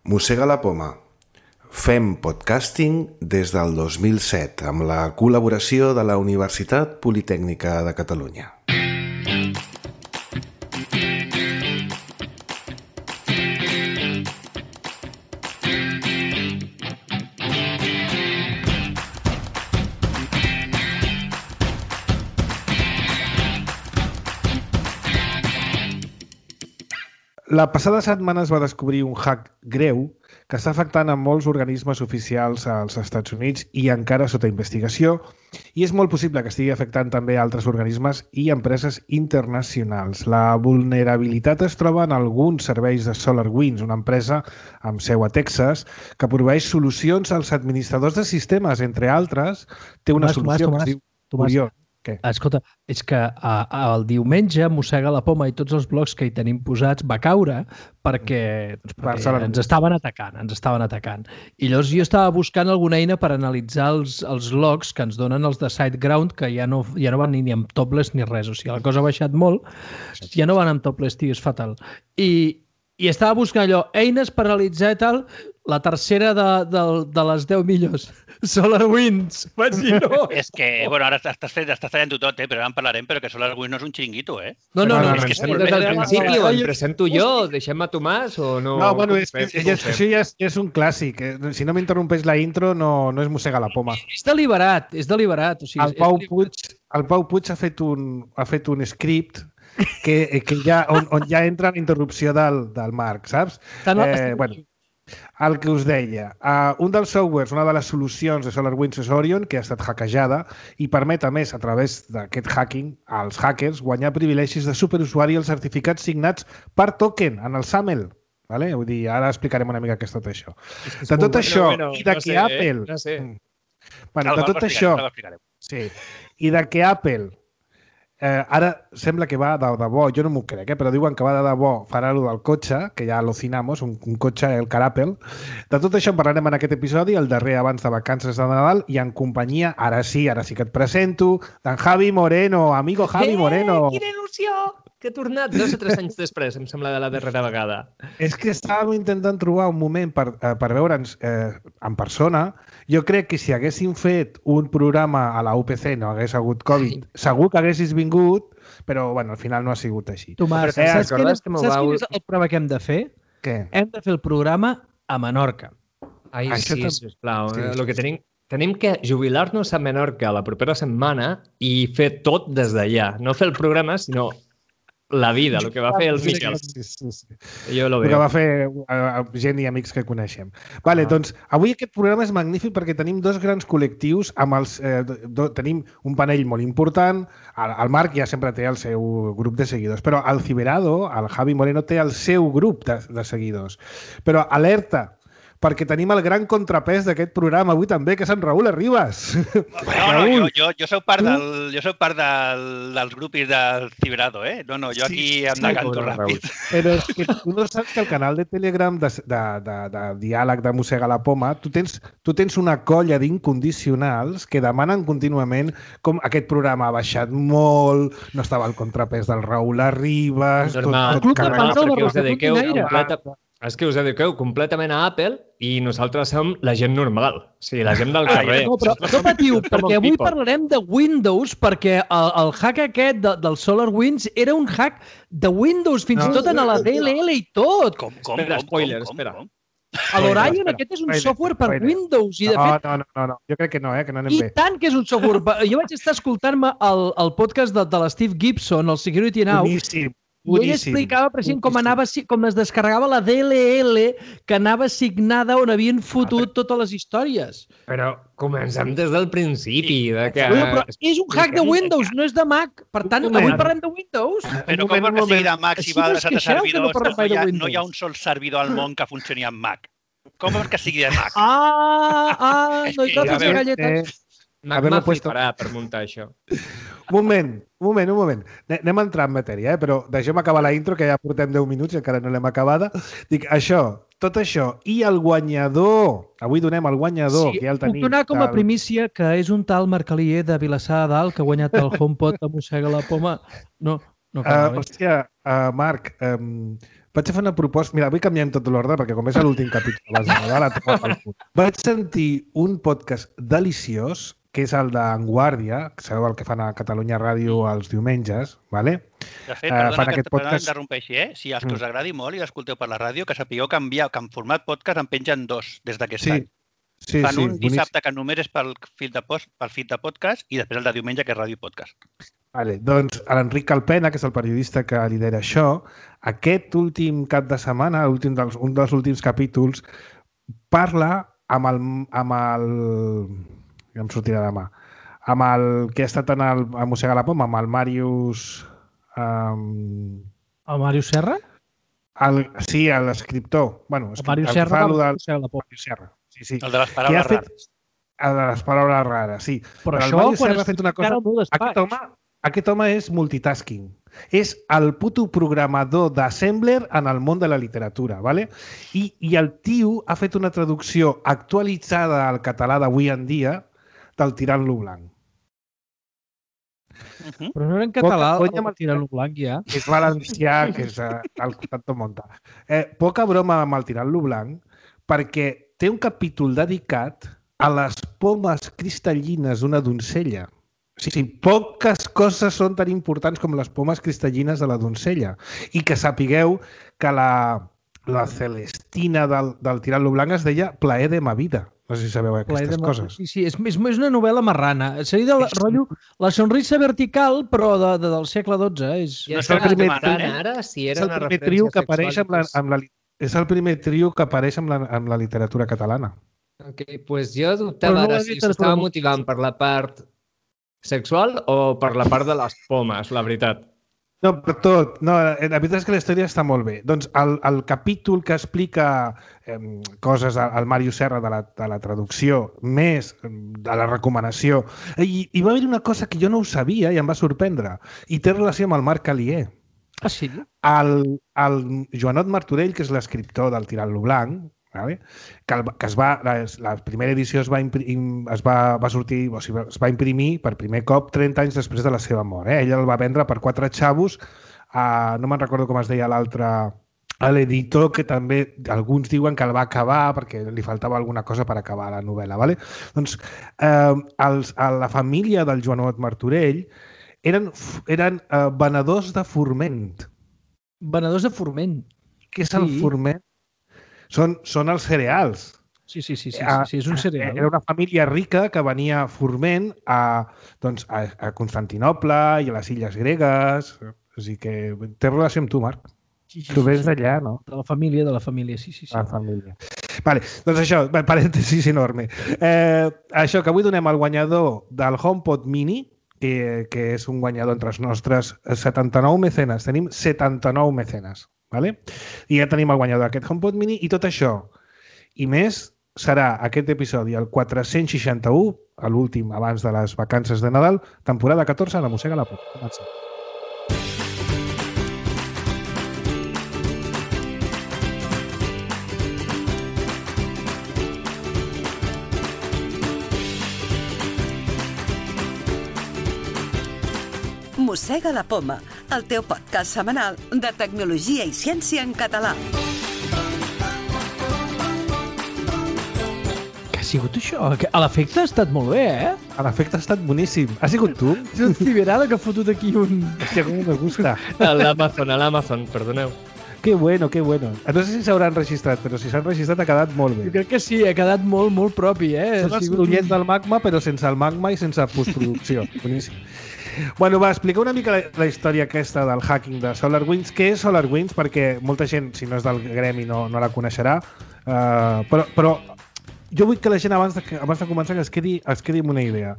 Mossega la poma. Fem podcasting des del 2007 amb la col·laboració de la Universitat Politècnica de Catalunya. La passada setmana es va descobrir un hack greu que està afectant a molts organismes oficials als Estats Units i encara sota investigació, i és molt possible que estigui afectant també altres organismes i empreses internacionals. La vulnerabilitat es troba en alguns serveis de SolarWinds, una empresa amb seu a Texas, que proveeix solucions als administradors de sistemes, entre altres. Té una solució que es diu Orion. Què? Escolta, és que el diumenge Mossega la poma i tots els blocs que hi tenim posats va caure perquè ens estaven atacant. I llavors jo estava buscant alguna eina per analitzar els logs que ens donen els de SiteGround, que ja no van ni amb topless ni res. O sigui, la cosa ha baixat molt, ja no van amb topless, tio, és fatal. I estava buscant allò, eines per analitzar i tal, la tercera de les 10 millors. SolarWinds, vaig dir no. És que, bueno, ara estàs fent-ho tot, però ara en parlarem, però que SolarWinds no és un xiringuito, eh? No, és que és des del principi, o em presento jo, deixem a Tomàs, o no? No, bueno, això ja és un clàssic. Si no m'interrompeix la intro, no és Mossega la poma. És deliberat. O sigui, el Pau Puig ha fet un script que ja, on ja entra la interrupció del Marc, saps? Bueno, el que us deia, un dels softwares, una de les solucions de SolarWinds és Orion, que ha estat hackejada i permet, a més, a través d'aquest hacking, als hackers guanyar privilegis de superusuari als certificats signats per token en el SAML. Vale? Vull dir, ara explicarem una mica què és tot això. De tot això, i de que Apple... De tot això... Sí. I de que Apple... ara sembla que va de debò, jo no m'ho crec, però diuen que va de debò farà allò del cotxe, que ja alucinamos, un cotxe, el car Apple. De tot això en parlarem en aquest episodi, el darrer abans de vacances de Nadal, i en companyia, ara sí que et presento, d'en Javi Moreno, amigo Javi Moreno. Quina il·lusió! Que he tornat 2 o 3 anys després, em sembla, de la darrera vegada. És que estàvem intentant trobar un moment per veure'ns en persona. Jo crec que si haguéssim fet un programa a la UPC, no hagués hagut Covid, segur que haguessis vingut, però bueno, al final no ha sigut així. Tomàs, saps quin és el programa que hem de fer? Què? Hem de fer el programa a Menorca. Ai, sí, sisplau. El que tenim que jubilar-nos a Menorca la propera setmana i fer tot des d'allà. No fer el programa, sinó la vida, el que va fer el Miquel. Sí. Jo lo veo. El que va fer gent i amics que coneixem. Vale, doncs, avui aquest programa és magnífic perquè tenim 2 grans col·lectius amb els... tenim un panell molt important. El Marc ja sempre té el seu grup de seguidors, però el Ciberado, el Javi Moreno, té el seu grup de seguidors. Però alerta, perquè tenim el gran contrapès d'aquest programa avui també, que és en Raül Arribas. No, jo soc part dels grupis del Ciberado, eh? No, jo aquí em decanto ràpid. Però és que tu no saps que el canal de Telegram de diàleg de Mossega la poma, tu tens una colla d'incondicionals que demanen contínuament com aquest programa ha baixat molt, no estava al contrapès del Raül Arribas... Normal, és que us dediqueu completament a Apple i nosaltres som la gent normal, o sigui, la gent del carrer. No, però no patiu, perquè avui parlarem de Windows, perquè el hack aquest del SolarWinds era un hack de Windows, fins i tot en la DLL i tot. Espera, spoiler, espera. L'Orion aquest és un software per Windows. I de fet, no, jo crec que no, que no anem bé. I tant que és un software. Jo vaig estar escoltant-me el podcast de l'Steve Gibson, el Security Now, i ell explicava precisament com es descarregava la DLL que anava assignada on havien fotut totes les històries. Però comencem des del principi. Però és un hack de Windows, no és de Mac. Per tant, avui parlem de Windows. Però com que sigui de Mac si va adreçat a servidors, no hi ha un sol servidor al món que funcioni amb Mac. Com que sigui de Mac? No hi totes les galletes. Mac m'aplicarà per muntar això. Un moment. Anem a entrar en matèria, però deixem acabar la intro, que ja portem 10 minuts i encara no l'hem acabada. Dic, tot això, i el guanyador. Avui donem el guanyador, que ja el tenim. Puc donar com a primícia que és un tal Marc-Alier de Vilassar de Dalt que ha guanyat el HomePod de Mossega la poma. No. Hòstia, Marc, vaig fer una proposta... Mira, avui canviem tot l'ordre perquè com és l'últim capítol abans de Nadal, vaig sentir un podcast deliciós que és el d'Enguàrdia, que sabeu el que fan a Catalunya Ràdio els diumenges, ¿vale? De fet, perdona que interrompeixi, si els que us agradi molt i l'escolteu per la ràdio, que sapigueu que en format podcast en pengen 2 des d'aquest any. Fan un dissabte que només és pel feed de podcast i després el de diumenge que és ràdio podcast. Vale, doncs l'Enric Calpena, que és el periodista que lidera això, aquest últim cap de setmana, un dels últims capítols, parla amb el ja em sortirà demà, amb el que ha estat a Mossegar la Poma, amb el Màrius... El Màrius Serra? Sí, l'escriptor. Bueno, el Màrius Serra va Mossegar la Poma. Sí. El de les paraules rares. El de les paraules rares, sí. Però això, el Màrius Serra ha fet una cosa... Aquest home és multitasking. És el puto programador d'Assembler en el món de la literatura, ¿vale? I el tio ha fet una traducció actualitzada al català d'avui en dia del Tirant-lo blanc. Però no era en català el Tirant-lo blanc, ja? És valencià, que és el Tanto Monta. Poca broma amb el Tirant-lo blanc, perquè té un capítol dedicat a les pomes cristal·lines d'una doncella. Sí, poques coses són tan importants com les pomes cristal·lines de la doncella. I que sapigueu que la Celestina del Tirant-lo blanc es deia Plaer de ma vida. No sé si sabeu aquestes coses. Sí, és una novel·la marrana. Seria del rotllo La sonrisa vertical, però del segle XII. És el primer ara, si era una referència sexual. És el primer trio que apareix amb la literatura catalana. Ok, doncs jo dubtava ara si s'estava motivant per la part sexual o per la part de les pomes, la veritat. No, per tot. No, la veritat és que la història està molt bé. Doncs el capítol que explica coses al Màrius Serra de la traducció, més de la recomanació, i va haver una cosa que jo no ho sabia i em va sorprendre, i té relació amb el Marc Alier. Ah, sí? El Joanot Martorell, que és l'escriptor del Tirant-lo blanc, que la primera edició es va imprimir per primer cop 30 anys després de la seva mort. Ell el va vendre per 4 xavos, no me'n recordo com es deia l'altre, a l'editor, que també alguns diuen que el va acabar perquè li faltava alguna cosa per acabar la novel·la. Doncs la família del Joanot Martorell eren venedors de forment. Venedors de forment? Què és el forment? Són els cereals. Sí, és un cereal. Era una família rica que venia forment a Constantinoble i a les illes gregues. O sigui que té relació amb tu, Marc. Tu vens d'allà, no? De la família, sí. La família. Vale, doncs això, parèntesis enorme. Això, que avui donem al guanyador del HomePod Mini, que és un guanyador entre els nostres 79 mecenes. Tenim 79 mecenes. Vale? I ja tenim el guanyador d'aquest HomePod Mini i tot això i més serà aquest episodi el 461, l'últim abans de les vacances de Nadal, temporada 14 de Mossega la Poma. Comencem. Mossega la Poma, el teu podcast setmanal de tecnologia i ciència en català. Què ha sigut això? L'efecte ha estat molt bé, L'efecte ha estat boníssim. Ha sigut tu? És el Ciberada que ha fotut aquí un... Hòstia, com me gusta. A l'Amazon, perdoneu. Que bueno. No sé si s'hauran registrat, però si s'han registrat ha quedat molt bé. Jo crec que sí, ha quedat molt, molt propi, Són els ullets del magma, però sense el magma i sense postproducció. Boníssim. Bueno, va, explicar una mica la història aquesta del hacking de SolarWinds. Què és SolarWinds? Perquè molta gent, si no és del gremi, no la coneixerà. Però jo vull que la gent, abans de començar, que es quedi amb una idea.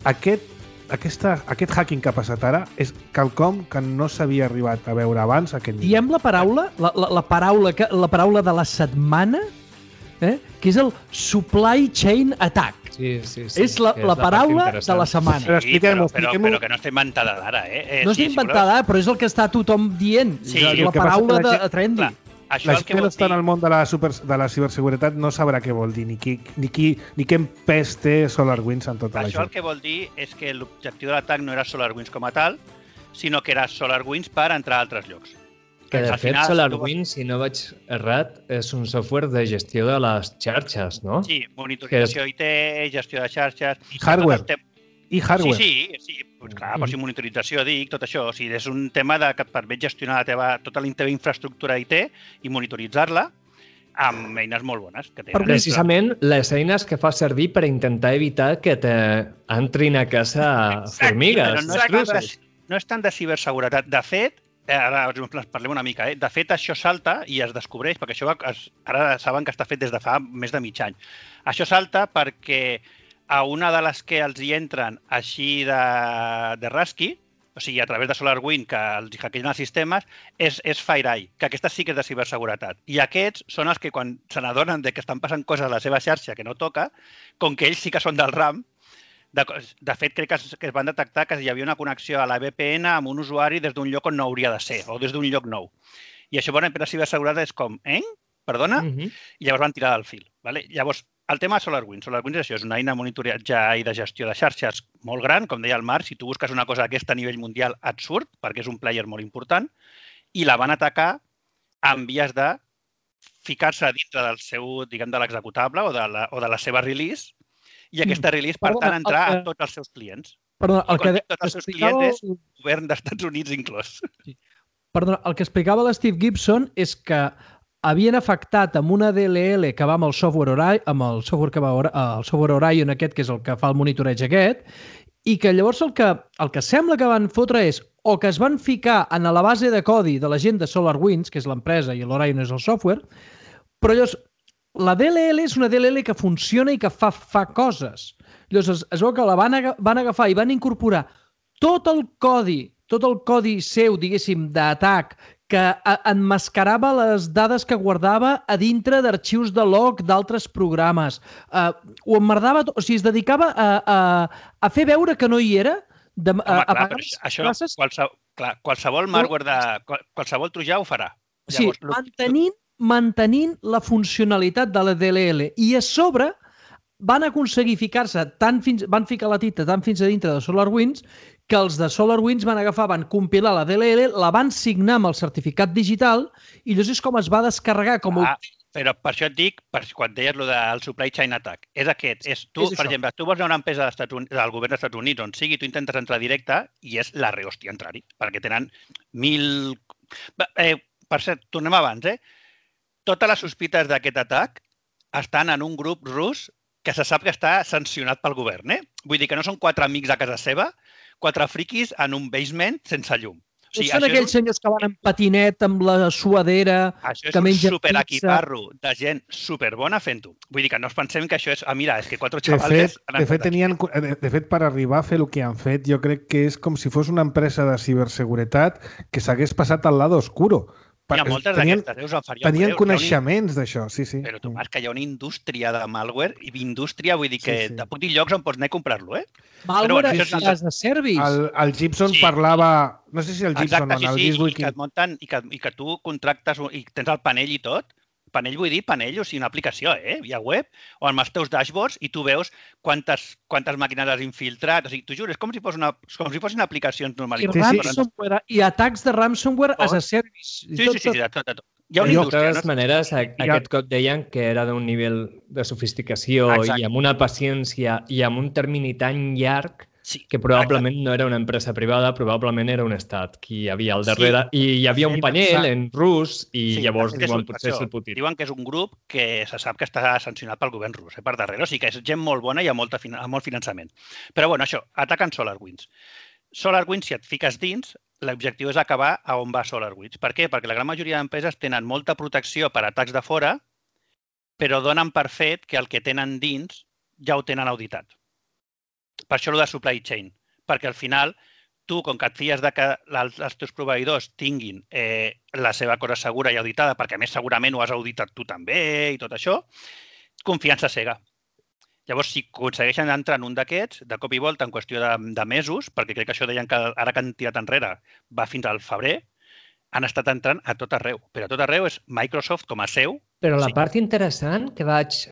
Aquest hacking que ha passat ara és quelcom que no s'havia arribat a veure abans. Diem la paraula, la paraula de la setmana, que és el supply chain attack. Sí. És la paraula de la setmana. Però que no està inventada d'ara, No està inventada, però és el que està tothom dient. Sí, la paraula de trendy. La gent que no està en el món de la ciberseguretat no sabrà què vol dir, ni quin pes té SolarWinds en tota la gent. Això el que vol dir és que l'objectiu de l'atac no era SolarWinds com a tal, sinó que era SolarWinds per entrar a altres llocs. Que de fet SolarWinds, si no vaig errat, és un software de gestió de les xarxes, no? Sí, monitorització IT, gestió de xarxes... I hardware. I hardware. Sí. Pues clar, però si monitorització, dic, tot això. O sigui, és un tema que et permet gestionar tota la teva infraestructura IT i monitoritzar-la amb eines molt bones que tenen. Precisament les eines que fa servir per intentar evitar que t'entrin a casa formigues. No és tant de ciberseguretat. De fet, ara parlem una mica, de fet això salta i es descobreix, perquè això ara saben que està fet des de fa més de mig any. Això salta perquè a una de les que els hi entren així de rasqui, o sigui, a través de SolarWinds, que els hackegen els sistemes, és FireEye, que aquesta sí que és de ciberseguretat. I aquests són els que quan se n'adonen que estan passant coses a la seva xarxa que no toca, com que ells sí que són del RAM, de fet, crec que es van detectar que hi havia una connexió a la VPN amb un usuari des d'un lloc on no hauria de ser, o des d'un lloc nou. I això, per a ciberseguretat és com, perdona? I llavors van tirar del fil. Llavors, el tema de SolarWinds. SolarWinds és això, és una eina de monitoratge i de gestió de xarxes molt gran, com deia el Marc, si tu busques una cosa d'aquesta a nivell mundial et surt, perquè és un player molt important, i la van atacar en vies de ficar-se dintre del seu, diguem, de l'executable o de la seva release, i aquesta release, per tant, entrar a tots els seus clients. Perdona, el que tots els seus clients és el govern dels Estats Units inclòs. Perdona, el que explicava l'Steve Gibson és que havien afectat amb una DLL que va amb el software Orion aquest, que és el que fa el monitoreig aquest, i que llavors el que sembla que van fotre és o que es van ficar en la base de codi de la gent de SolarWinds, que és l'empresa i l'Orion és el software, però llavors la DLL és una DLL que funciona i que fa coses. Llavors es veu que la van agafar i van incorporar tot el codi seu, diguéssim, d'atac, que emmascarava les dades que guardava a dintre d'arxius de log d'altres programes. Ho emmerdava, o sigui, es dedicava a fer veure que no hi era. Qualsevol malware, qualsevol trojà ho farà. Sí, mantenint la funcionalitat de la DLL. I a sobre van aconseguir van ficar la tita tant fins a dintre de SolarWinds que els de SolarWinds van agafar, van compilar la DLL, la van signar amb el certificat digital i llavors és com es va descarregar. Però per això et dic, quan deies el supply chain attack, és aquest. Per exemple, tu vols anar a una empresa del govern dels Estats Units on sigui, tu intentes entrar directe i és la rehòstia entrar-hi, perquè tenen 1.000... Per cert, tornem abans, Totes les sospites d'aquest atac estan en un grup rus que se sap que està sancionat pel govern. Vull dir que no són 4 amics a casa seva, 4 friquis en un basement sense llum. O sigui, són aquells senyors que van en patinet amb la suadera, que mengen pizza. Això és un superaquiparro de gent superbona fent-ho. Vull dir que no ens pensem que això és... mira, és que 4 xavales... De fet, per arribar a fer el que han fet, jo crec que és com si fos una empresa de ciberseguretat que s'hagués passat al lado oscuro. Hi ha moltes d'aquestes, tenien coneixements d'això, sí. Però tu, Marc, que hi ha una indústria de malware, i indústria vull dir que te puc dir llocs on pots anar a comprar-lo, Malware és de service. El Gibson parlava... No sé si el Gibson o el Giswick... I que et munten, i que tu contractes i tens el panell i tot. Panell vull dir panell, o sigui, una aplicació, via web, o amb els teus dashboards, i tu veus quantes màquines has infiltrat. O sigui, t'ho juro, és com si fossin aplicacions normalitzades. I atacs de ransomware as a service. Sí, tot. Hi ha una indústria. De totes maneres, aquest cop deien que era d'un nivell de sofisticació i amb una paciència i amb un termini tan llarg que probablement no era una empresa privada, probablement era un estat qui hi havia al darrere. I hi havia un panell en rus i llavors diuen potser se'l pot dir. Diuen que és un grup que se sap que està sancionat pel govern rus, per darrere. O sigui que és gent molt bona i amb molt finançament. Però bueno, això, ataquen SolarWinds. SolarWinds, si et fiques dins, l'objectiu és acabar a on va SolarWinds. Per què? Perquè la gran majoria d'empreses tenen molta protecció per atacs de fora, però donen per fet que el que tenen dins ja ho tenen auditat. Per això el de supply chain, perquè al final tu, com que et fies que els teus proveïdors tinguin la seva cosa segura i auditada, perquè a més segurament ho has auditat tu també i tot això, confiança cega. Llavors, si aconsegueixen entrar en un d'aquests, de cop i volta, en qüestió de mesos, perquè crec que això deien que ara que han tirat enrere va fins al febrer, han estat entrant a tot arreu. Però a tot arreu és Microsoft com a seu. Però la part interessant que vaig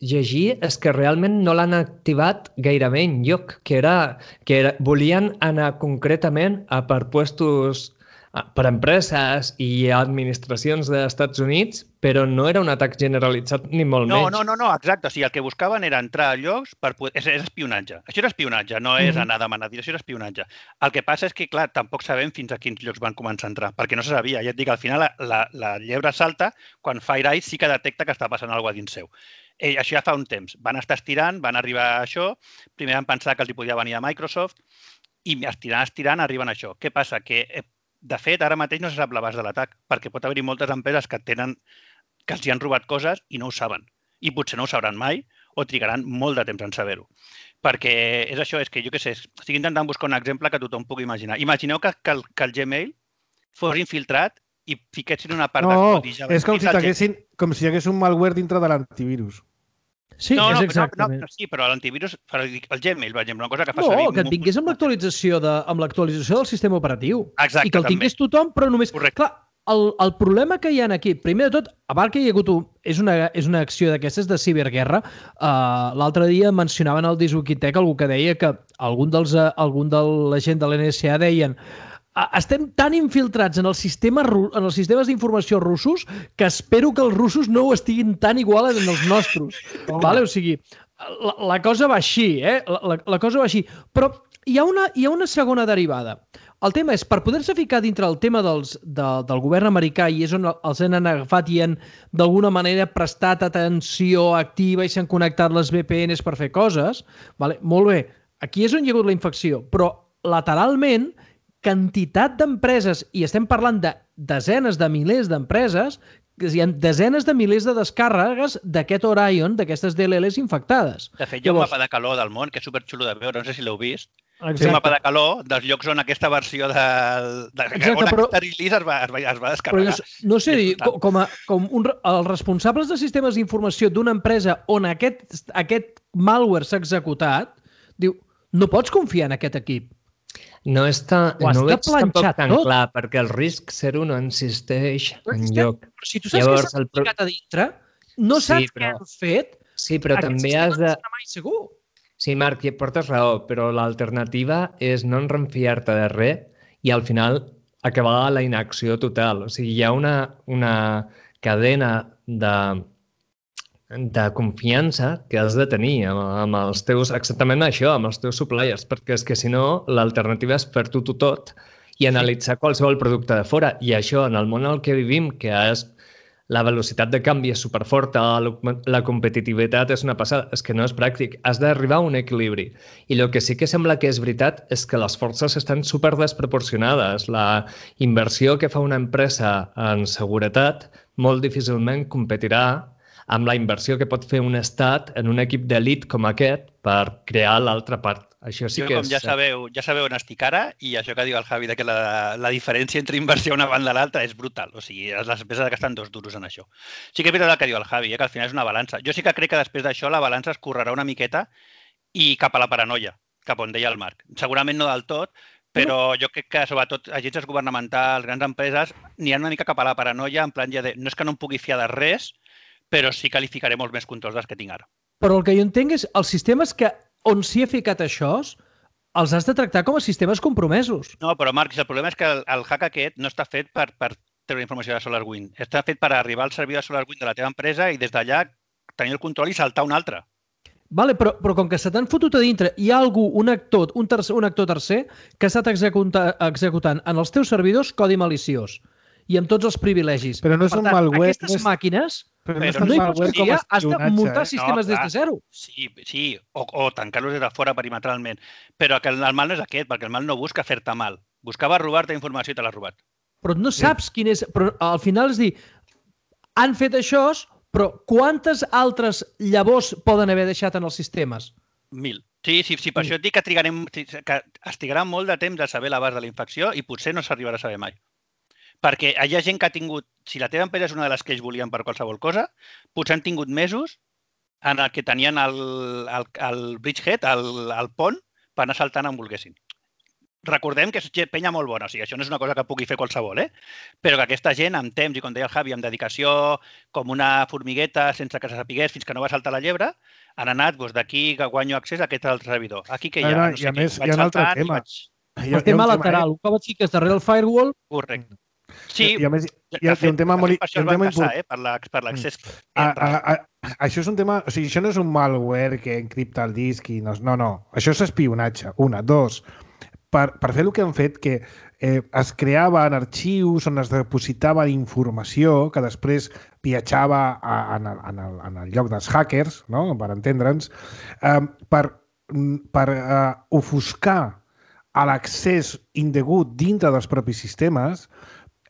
llegir és que realment no l'han activat gairebé enlloc, que volien anar concretament a per puestos per empreses i administracions dels Estats Units, però no era un atac generalitzat ni molt menys. No, exacte. O sigui, el que buscaven era entrar a llocs per poder... És espionatge. Això és espionatge, no és anar a demanar dir, això és espionatge. El que passa és que, clar, tampoc sabem fins a quins llocs van començar a entrar, perquè no se sabia. Ja et dic, al final la llebre salta quan FireEye sí que detecta que està passant alguna cosa dins seu. Això ja fa un temps. Van estar estirant, van arribar a això, primer van pensar que els hi podia venir a Microsoft i estirant, arriben a això. Què passa? Que, de fet, ara mateix no se sap l'abast de l'atac, perquè pot haver-hi moltes empreses que els hi han robat coses i no ho saben. I potser no ho sabran mai o trigaran molt de temps en saber-ho. Perquè és això, és que jo què sé, estic intentant buscar un exemple que tothom pugui imaginar. Imagineu que el Gmail fos infiltrat i fiquessin una part de codi. No, és com si hi hagués un malware dintre de l'antivirus. Sí, és exactament. Sí, però l'antivirus, el Gmail, per exemple, una cosa que fa servir... No, que et vingués amb l'actualització del sistema operatiu. Exacte, i que el tingués tothom, però només... Correcte. Clar, el problema que hi ha aquí, primer de tot, a part que hi ha hagut és una acció d'aquestes de ciberguerra, l'altre dia mencionaven al Diswikitech algú que deia que algun de la gent de l'NSA deien estem tan infiltrats en els sistemes d'informació russos que espero que els russos no ho estiguin tan igual en els nostres. Vale? O sigui, la cosa va així, la cosa va així. Però hi ha una segona derivada. El tema és, per poder-se ficar dintre el tema del govern americà, i és on els han agafat i han d'alguna manera prestat atenció activa i s'han connectat les VPNs per fer coses, vale? Molt bé, aquí és on hi ha hagut la infecció, però lateralment quantitat d'empreses, i estem parlant de desenes de milers d'empreses, hi ha desenes de milers de descàrregues d'aquest Orion, d'aquestes DLLs infectades. De fet, hi ha un mapa de calor del món que és superxulo de veure, no sé si l'heu vist. És un mapa de calor dels llocs on aquesta versió on aquesta release es va descarregar. No sé, els responsables de sistemes d'informació d'una empresa on aquest malware s'ha executat, diu, no pots confiar en aquest equip. No veig tampoc tan clar, perquè el risc 0 no existeix enlloc. Però si tu saps que s'ha ficat a dintre, no saps què han fet, sí, però també has de... mai segur. Sí, Marc, portes raó, però l'alternativa és no enrefiar-te de res i al final acabar la inacció total. O sigui, hi ha una cadena de confiança que has de tenir amb els teus, exactament això, amb els teus suppliers, perquè és que si no, l'alternativa és fer-ho tot i analitzar qualsevol producte de fora. I això, en el món en què vivim, que és la velocitat de canvi és superforta, la competitivitat és una passada, és que no és pràctic. Has d'arribar a un equilibri. I el que sí que sembla que és veritat és que les forces estan superdesproporcionades. La inversió que fa una empresa en seguretat molt difícilment competirà amb la inversió que pot fer un estat en un equip d'elit com aquest per crear l'altra part. Això sí que com ja sabeu on estic ara, i això que diu el Javi, que la diferència entre inversió una banda i l'altra és brutal. O sigui, les empreses gasten 2 duros en això. Sí que és veritat el que diu el Javi, que al final és una balança. Jo sí que crec que després d'això la balança es correrà una miqueta i cap a la paranoia, cap on deia el Marc. Segurament no del tot, però jo crec que, sobretot, agències governamentals, grans empreses, n'hi ha una mica cap a la paranoia, en plan ja de no és que no em pugui fiar de res, però sí que li ficaré molts més controls dels que tinc ara. Però el que jo entenc és els sistemes on s'hi ha ficat això, els has de tractar com a sistemes compromesos. No, però Marc, el problema és que el hack aquest no està fet per treure informació de SolarWinds. Està fet per arribar al servidor de SolarWinds de la teva empresa i des d'allà tenir el control i saltar un altre. Vale, però com que se t'han fotut a dintre, hi ha algú, un actor tercer, que ha estat executant en els teus servidors codi maliciós i amb tots els privilegis. Però no és un malware. Aquestes màquines no hi pots confiar, has de muntar sistemes des de zero. Sí, o tancar-los des de fora perimetralment. Però que el mal no és aquest, perquè el mal no busca fer-te mal. Buscava robar-te informació i te l'ha robat. Però no saps quin és... Però al final és dir, han fet això, però quantes altres llavors poden haver deixat en els sistemes? 1000. Sí, per això et dic que es trigarà molt de temps a saber l'abast de la infecció i potser no s'arribarà a saber mai. Perquè hi ha gent que ha tingut, si la teva empresa és una de les que ells volien per qualsevol cosa, potser han tingut mesos en el que tenien el bridgehead, el pont, per anar saltant on volguessin. Recordem que és penya molt bona, o sigui, això no és una cosa que pugui fer qualsevol, però que aquesta gent, amb temps, i com deia el Javi, amb dedicació, com una formigueta, sense que se sapigués fins que no va saltar la llebre, han anat d'aquí que guanyo accés a aquest altre servidor. Aquí que hi ha, no sé què, vaig saltant i vaig... El tema lateral, un cop et fiques darrere el firewall... Correcte. Sí, hi ha un tema molt important per l'accés. Això és un tema... O sigui, això no és un malware que encripta el disc i no. Això és espionatge. Una. Dos, per fer el que han fet, que es creaven arxius on es depositava informació que després viatjava en el lloc dels hackers, no? Per entendre'ns, per ofuscar l'accés indegut dintre dels propis sistemes.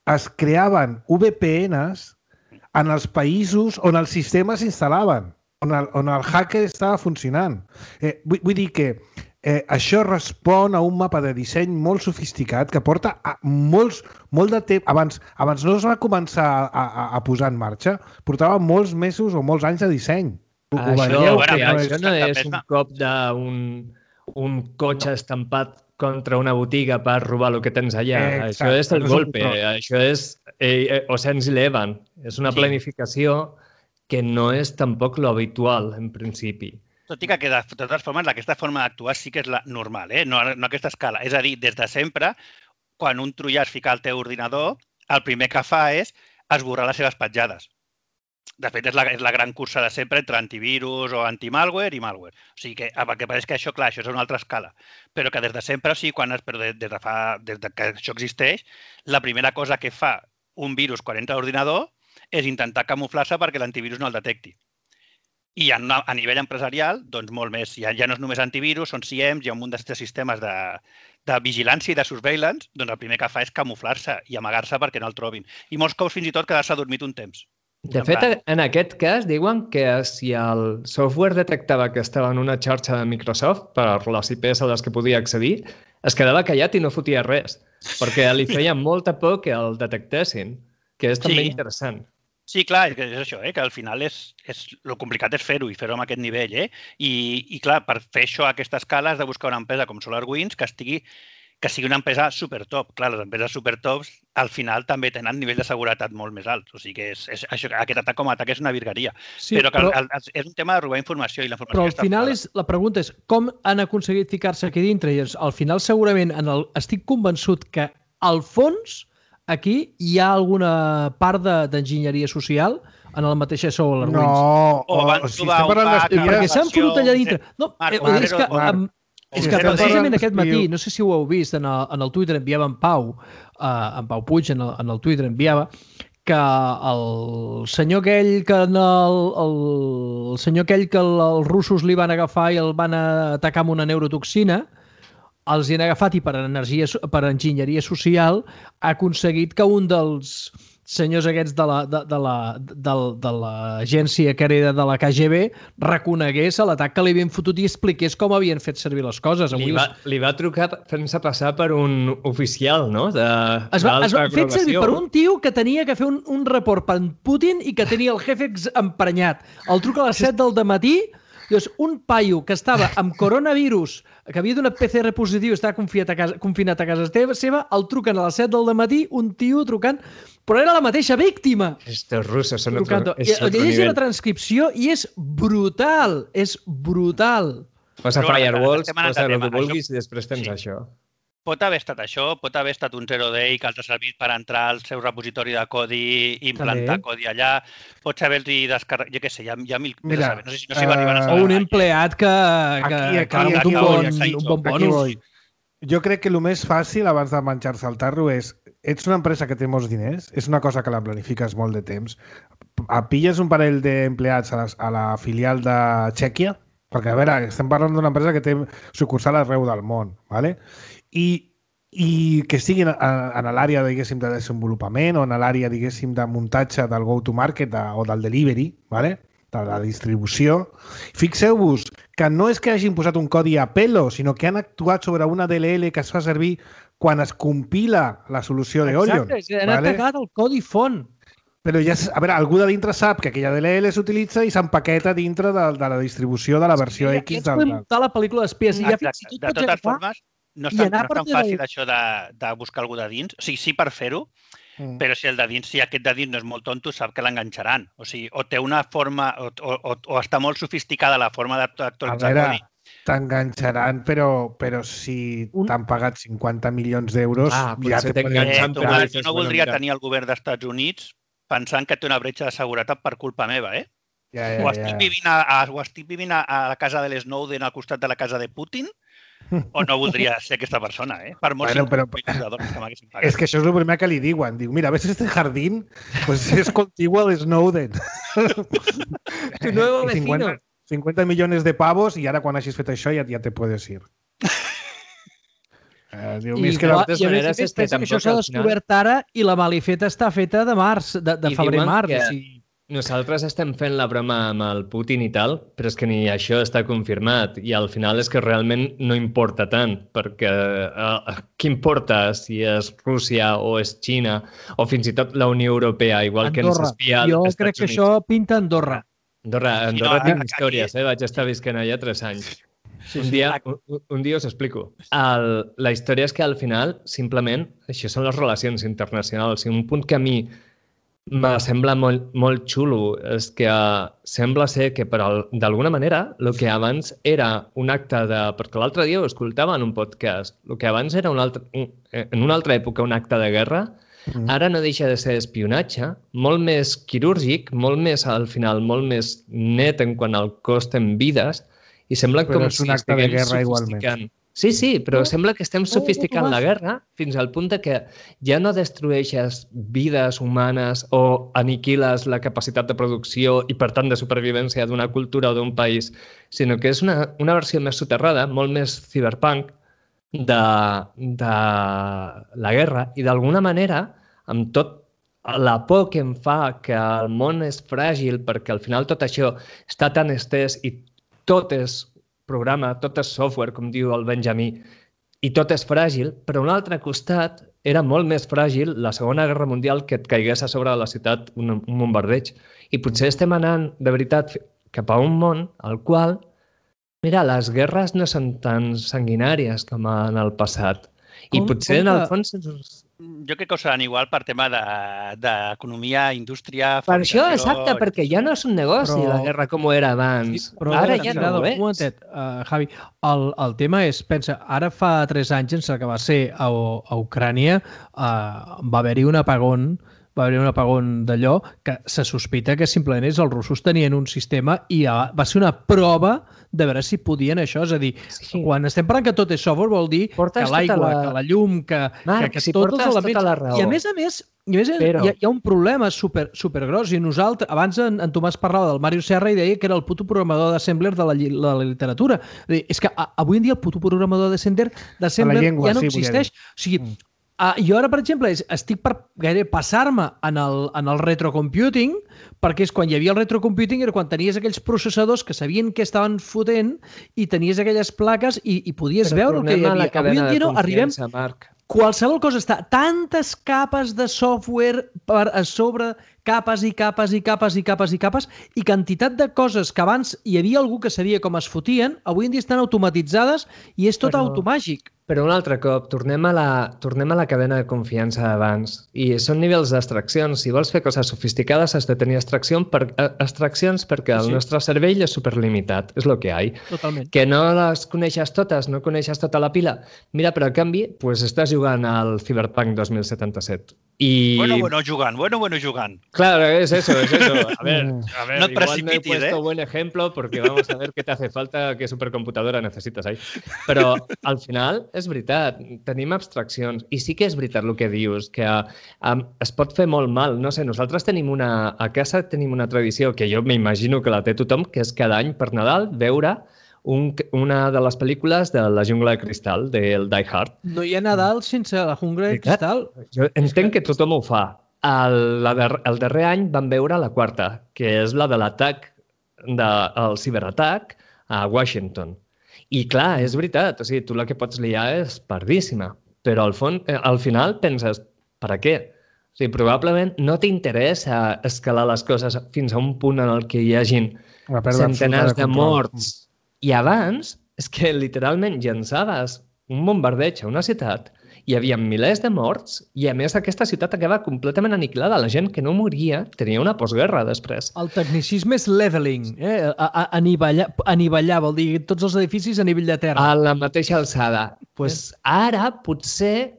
Es creaven VPNs en els països on els sistemes s'instal·laven, on el hacker estava funcionant. Vull dir que això respon a un mapa de disseny molt sofisticat que porta molt de temps. Abans no es va començar a posar en marxa, portava molts mesos o molts anys de disseny. Això no és un cop d'un cotxe estampat contra una botiga per robar el que tens allà. Això és el golpe. Això és Ocean's Eleven. És una planificació que no és tampoc lo habitual, en principi. Tot i que, de totes formes, aquesta forma d'actuar sí que és la normal, no aquesta escala. És a dir, des de sempre, quan un troià es fica al teu ordinador, el primer que fa és esborrar les seves petjades. De fet, és la gran cursa de sempre entre antivirus o antimalware i malware. O sigui que, perquè pareix que això, clar, això és una altra escala. Però que des de sempre, o sigui, des que això existeix, la primera cosa que fa un virus quan entra a l'ordinador és intentar camuflar-se perquè l'antivirus no el detecti. I a nivell empresarial, doncs molt més. Ja no és només antivirus, són CIEMs, hi ha un munt de sistemes de vigilància i de surveillance, doncs el primer que fa és camuflar-se i amagar-se perquè no el trobin. I molts cops fins i tot quedar-se adormit un temps. De fet, en aquest cas, diuen que si el software detectava que estava en una xarxa de Microsoft per les IPs a les que podia accedir, es quedava callat i no fotia res, perquè li feia molta por que el detectessin, que és també interessant. Sí, clar, és això, que al final el complicat és fer-ho i fer-ho amb aquest nivell. I clar, per fer això a aquesta escala has de buscar una empresa com SolarWinds que sigui una empresa supertop. Clar, les empreses supertops al final també tenen nivell de seguretat molt més alt. O sigui que aquest atac com a atac és una virgueria. Sí, però és un tema de robar informació. Però al final la pregunta és com han aconseguit ficar-se aquí dintre? I al final segurament estic convençut que al fons aquí hi ha alguna part d'enginyeria social en el mateix SolarWinds. No, o van trobar un pack... Perquè s'han fotut allà dintre. No, és que precisament aquest matí, no sé si ho heu vist, en el Twitter enviava en Pau Puig, en el Twitter enviava, que el senyor aquell que els russos li van agafar i el van atacar amb una neurotoxina, els hi han agafat i per enginyeria social ha aconseguit que un dels senyors aquests de l'agència que era de la KGB reconegués l'atac que li havien fotut i expliqués com havien fet servir les coses. Li va trucar fent-se passar per un oficial, no? Es va fer servir per un tio que tenia que fer un report per Putin i que tenia el jefe emprenyat. El truca a les 7 del matí. Llavors, un paio que estava amb coronavirus, que havia donat PCR positiu i estava confinat a casa seva, el truquen a les 7 del matí, un tio trucant, però era la mateixa víctima. Estos russos són llegeix la transcripció i és brutal, és brutal. Posa firewalls, posa el que vulguis i després tens això. Pot haver estat això, pot haver estat un zero day que els ha servit per entrar al seu repositori de codi i implantar codi allà. Pots haver-hi descarregat, jo què sé, hi ha mil... Mira, no sé si va arribar a saber. O un empleat que ha un bon bonus. Jo crec que el més fàcil abans de menjar-se el tarro és ets una empresa que té molts diners, és una cosa que la planifiques molt de temps, pilles un parell d'empleats a la filial de Txèquia, perquè, a veure, estem parlant d'una empresa que té sucursal arreu del món, ¿vale? I que estiguin en l'àrea, diguéssim, de desenvolupament o en l'àrea, diguéssim, de muntatge del go-to-market o del delivery, ¿vale? De la distribució. Fixeu-vos que no és que hagin posat un codi a pelo, sinó que han actuat sobre una DLL que es fa servir quan es compila la solució d'Orion. Exacte, han atacat el codi font. Però ja, a veure, algú de dintre sap que aquella DLL s'utilitza i s'empaqueta dintre de la distribució de la versió X. Aquests podem muntar la pel·lícula d'espies. De totes formes, no és tan fàcil això de buscar algú de dins. O sigui, sí per fer-ho, però si aquest de dins no és molt tonto, sap que l'enganxaran. O sigui, o té una forma, o està molt sofisticada la forma d'actualitzar codi T'enganxaran, però si t'han pagat 50 milions d'euros... ja t'enganxen. Jo no voldria tenir el govern d'Estats Units pensant que té una bretxa de seguretat per culpa meva, eh? O estic vivint a la casa de l'Snowden al costat de la casa de Putin, o no voldria ser aquesta persona, eh? Per molts $50 que m'haguessin pagat. És que això és el primer que li diuen. Diu, mira, ves este jardín, pues es contigo al Snowden. Tu nuevo vecino. 50 millones de pavos i ara quan hagis fet això ja te puedes ir. Diu, I a més pensa que això s'ha descobert ara i la malifeta està feta de març, de febrer-març. Nosaltres estem fent la broma amb el Putin i tal, però és que ni això està confirmat i al final és que realment no importa tant, perquè què importa si és Rússia o és Xina o fins i tot la Unió Europea, igual que ens espia als Estats Units. Jo crec que això pinta Andorra. Andorra tinc històries, vaig estar visquent allà 3 anys. Un dia us explico. La història és que al final, simplement, això són les relacions internacionals. I un punt que a mi me sembla molt xulo és que sembla ser que d'alguna manera el que abans era un acte de... Perquè l'altre dia ho escoltava en un podcast. El que abans era en una altra època un acte de guerra, ara no deixa de ser espionatge, molt més quirúrgic, molt més, al final, molt més net en quant al cost en vides, i sembla com si estiguem sofisticant. Sí, però sembla que estem sofisticant la guerra fins al punt que ja no destrueixes vides humanes o aniquiles la capacitat de producció i, per tant, de supervivència d'una cultura o d'un país, sinó que és una versió més soterrada, molt més cyberpunk, de la guerra i d'alguna manera, amb tot la por que em fa que el món és fràgil perquè al final tot això està tan estès i tot és programa, tot és software, com diu el Benjamí, i tot és fràgil, però a un altre costat era molt més fràgil la Segona Guerra Mundial que et caigués a sobre de la ciutat un bombardeig. I potser estem anant, de veritat, cap a un món al qual mira, les guerres no són tan sanguinàries com en el passat. I potser, en el fons... Jo crec que ho seran igual per tema d'economia, indústria... Per això, exacte, perquè ja no és un negoci la guerra com ho era abans. Però ara ja no ho és. Un momentet, Javi, el tema és, pensa, ara fa 3 anys, sense que va ser a Ucrània, va haver-hi un apagón d'allò que se sospita que simplement és els russos tenien un sistema i va ser una prova de veure si podien això. És a dir, quan estem parlant que tot és software vol dir que l'aigua, que la llum, que tots els elements... I a més, hi ha un problema supergros i nosaltres, abans en Tomàs parlava del Mario Serra i deia que era el puto programador d'Assembler de la literatura. És que avui en dia el puto programador d'Assembler ja no existeix. O sigui, jo ara, per exemple, estic per gairebé passar-me en el retrocomputing, perquè és quan hi havia el retrocomputing era quan tenies aquells processadors que sabien què estaven fotent i tenies aquelles plaques i podies veure el que hi havia. Avui en dia no arribem... Qualsevol cosa està tantes capes de software a sobre capes i capes i capes i capes i capes i quantitat de coses que abans hi havia algú que sabia com es fotien, avui en dia estan automatitzades i és tot automàgic. Però un altre cop, tornem a la cadena de confiança d'abans. I són nivells d'abstraccions. Si vols fer coses sofisticades has de tenir abstraccions perquè el nostre cervell és superlimitat. És el que hi ha. Totalment. Que no les coneixes totes, no coneixes tota la pila. Mira, però a canvi, pues estàs jugant al Cyberpunk 2077. Y... Bueno, jugant. Claro, es eso. A ver, no te precipites, igual no he puesto buen ejemplo porque vamos a ver qué te hace falta, qué supercomputadora necesitas ahí. Però al final és veritat, tenim abstraccions i sí que és veritat el que dius, que es pot fer molt mal. No sé, nosaltres a casa tenim una tradició que jo m'imagino que la té tothom, que és cada any per Nadal veure una de les pel·lícules de La jungla de cristal, del Die Hard. No hi ha Nadal sense La jungla de cristal. Jo entenc que tothom ho fa. El darrer any vam veure la quarta, que és la de l'atac, del ciberatac a Washington. I clar, és veritat, o sigui, tu la que pots liar és pardíssima, però al final penses, per a què? O sigui, probablement no t'interessa escalar les coses fins a un punt en el que hi hagin centenars de morts. I abans, és que literalment llançaves un bombardeig a una ciutat hi havia milers de morts i, a més, aquesta ciutat acaba completament aniquilada. La gent que no moria tenia una postguerra després. El tecnicisme és leveling, anivellar, vol dir tots els edificis a nivell de terra. A la mateixa alçada. Pues ara potser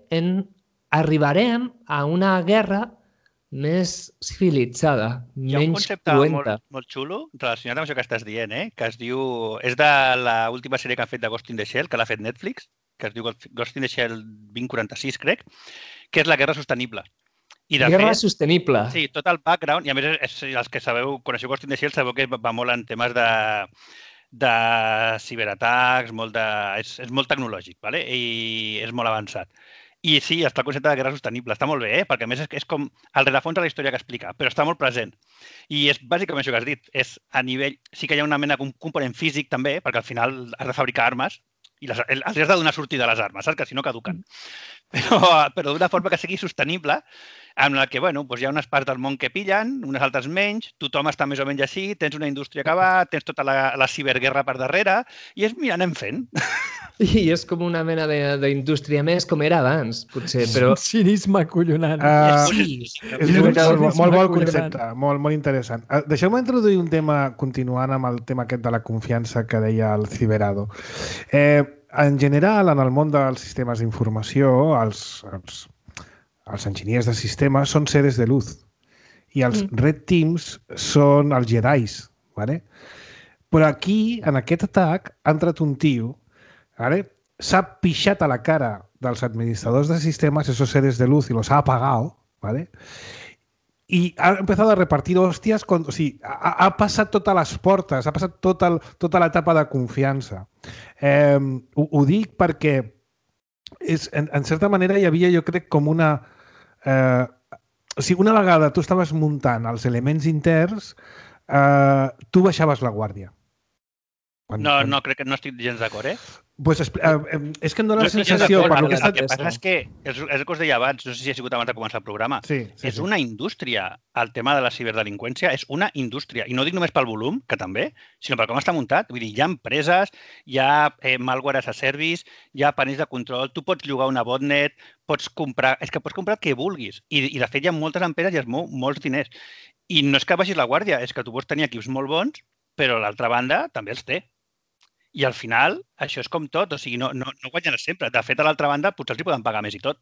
arribarem a una guerra més civilitzada, menys cruenta. Hi ha un concepte molt xulo relacionat amb això que estàs dient, que es diu... És de l'última sèrie que han fet de Ghost in the Shell, que l'ha fet Netflix, que es diu Ghost in the Shell 2046, crec, que és la guerra sostenible. Guerra sostenible. Sí, tot el background, i a més, els que coneixeu Ghost in the Shell, sabeu que va molt en temes de ciberatacs, és molt tecnològic, i és molt avançat. I sí, està el concepte de guerra sostenible. Està molt bé, perquè a més és com el rerefons de la història que explica, però està molt present. I és bàsicament això que has dit. És a nivell... Sí que hi ha una mena de component físic també, perquè al final has de fabricar armes i els has de donar sortida a les armes, saps? Que si no caduquen. Però d'una forma que sigui sostenible, en la que hi ha unes parts del món que pillen, unes altres menys, tothom està més o menys així, tens una indústria que va, tens tota la ciberguerra per darrere, i mira, anem fent. I és com una mena d'indústria més com era abans, potser, però... Cinisme acollonant. Sí, és molt bon concepte, molt interessant. Deixeu-me introduir un tema, continuant amb el tema aquest de la confiança que deia el Ciberado. En general, en el món dels sistemes d'informació, els enginyers de sistemes són seres de luz i els Red Teams són els Jedis. ¿Vale? Però aquí, en aquest atac, ha entrat un tio, ¿vale? S'ha pixat a la cara dels administradors de sistemes, esos seres de luz, y los ha apagado, ¿vale? Y ha empezado a repartir hostias, o sigui, ha passat totes les portes, ha passat tota l'etapa de confiança. Ho dic perquè en certa manera hi havia, jo crec, com una... O sigui, una vegada tu estaves muntant els elements interns, tu baixaves la guàrdia. No, crec que no estic gens d'acord, Pues, és que em dóna la sensació... El que passa és que, és el que us deia abans, no sé si ha sigut abans de començar el programa, és una indústria. El tema de la ciberdelinqüència és una indústria. I no dic només pel volum, que també, sinó per com està muntat. Vull dir, hi ha empreses, hi ha malware as a service, hi ha panells de control, tu pots llogar una botnet, pots comprar el que vulguis. I de fet hi ha moltes empreses i es mou molts diners. I no és que baixis la guàrdia, és que tu pots tenir equips molt bons, però l'altra banda també els té. I al final, això és com tot, o sigui, no guanyaràs sempre. De fet, a l'altra banda, potser els hi poden pagar més i tot.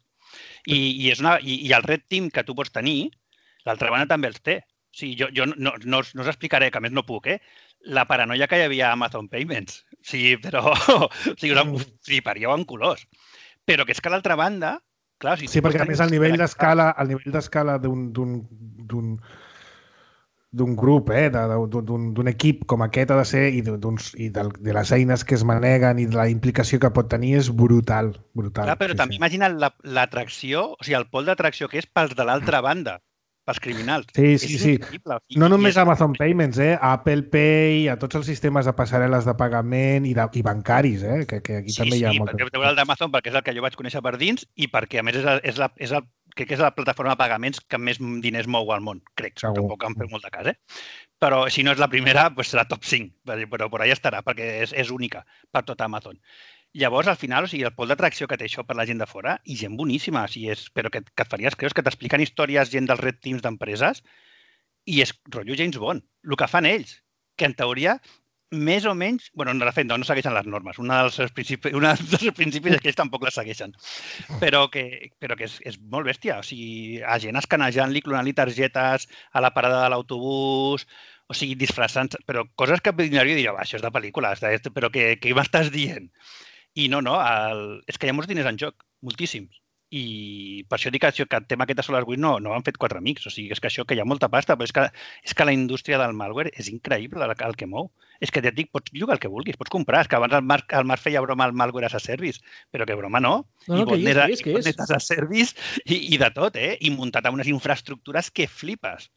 I el Red Team que tu pots tenir, l'altra banda també els té. O sigui, jo no us explicaré, que a més no puc, la paranoia que hi havia a Amazon Payments. O sigui, però... O sigui, fliparíeu en colors. Però que és que a l'altra banda... Clar, sí, perquè a més el nivell d'escala d'un grup, d'un equip com aquest ha de ser, i de les eines que es maneguen i de la implicació que pot tenir és brutal. Clar, però també imagina't l'atracció, o sigui, el pol d'atracció que és pels de l'altra banda, pels criminals. Sí. No només Amazon Payments, Apple Pay, a tots els sistemes de passarel·les de pagament i bancaris, que aquí també hi ha molt. Sí, perquè el d'Amazon perquè és el que jo vaig conèixer per dins i perquè, a més, crec que és la plataforma de pagaments que més diners mou al món, crec. Tampoc em feu molt de cas, Però si no és la primera, serà top 5, però per allà estarà, perquè és única per tot Amazon. Llavors, al final, o sigui, el pol d'atracció que té això per la gent de fora, i gent boníssima, però que et faries creus, que t'expliquen històries gent dels Red Teams d'empreses, i és rotllo James Bond. El que fan ells, que en teoria, més o menys... Bueno, de fet, no segueixen les normes. Un dels seus principis és que ells tampoc les segueixen. Però que és molt bèstia. O sigui, a gent escanejant-li, clonant-li targetes a la parada de l'autobús, o sigui, disfressant... Però coses que jo diria, això és de pel·lícula, però què m'estàs dient? I no, és que hi ha molts diners en joc, moltíssims. I per això dic que el tema aquest de Solar 8 no han fet 4 amics. O sigui, és que això, que hi ha molta pasta, però és que la indústria del malware és increïble el que mou. És que ja et dic, pots llogar el que vulguis, pots comprar. És que abans el Marc feia broma al malware as a service, però que broma no. I botnet as a service i de tot, I muntat amb unes infraestructures que flipes.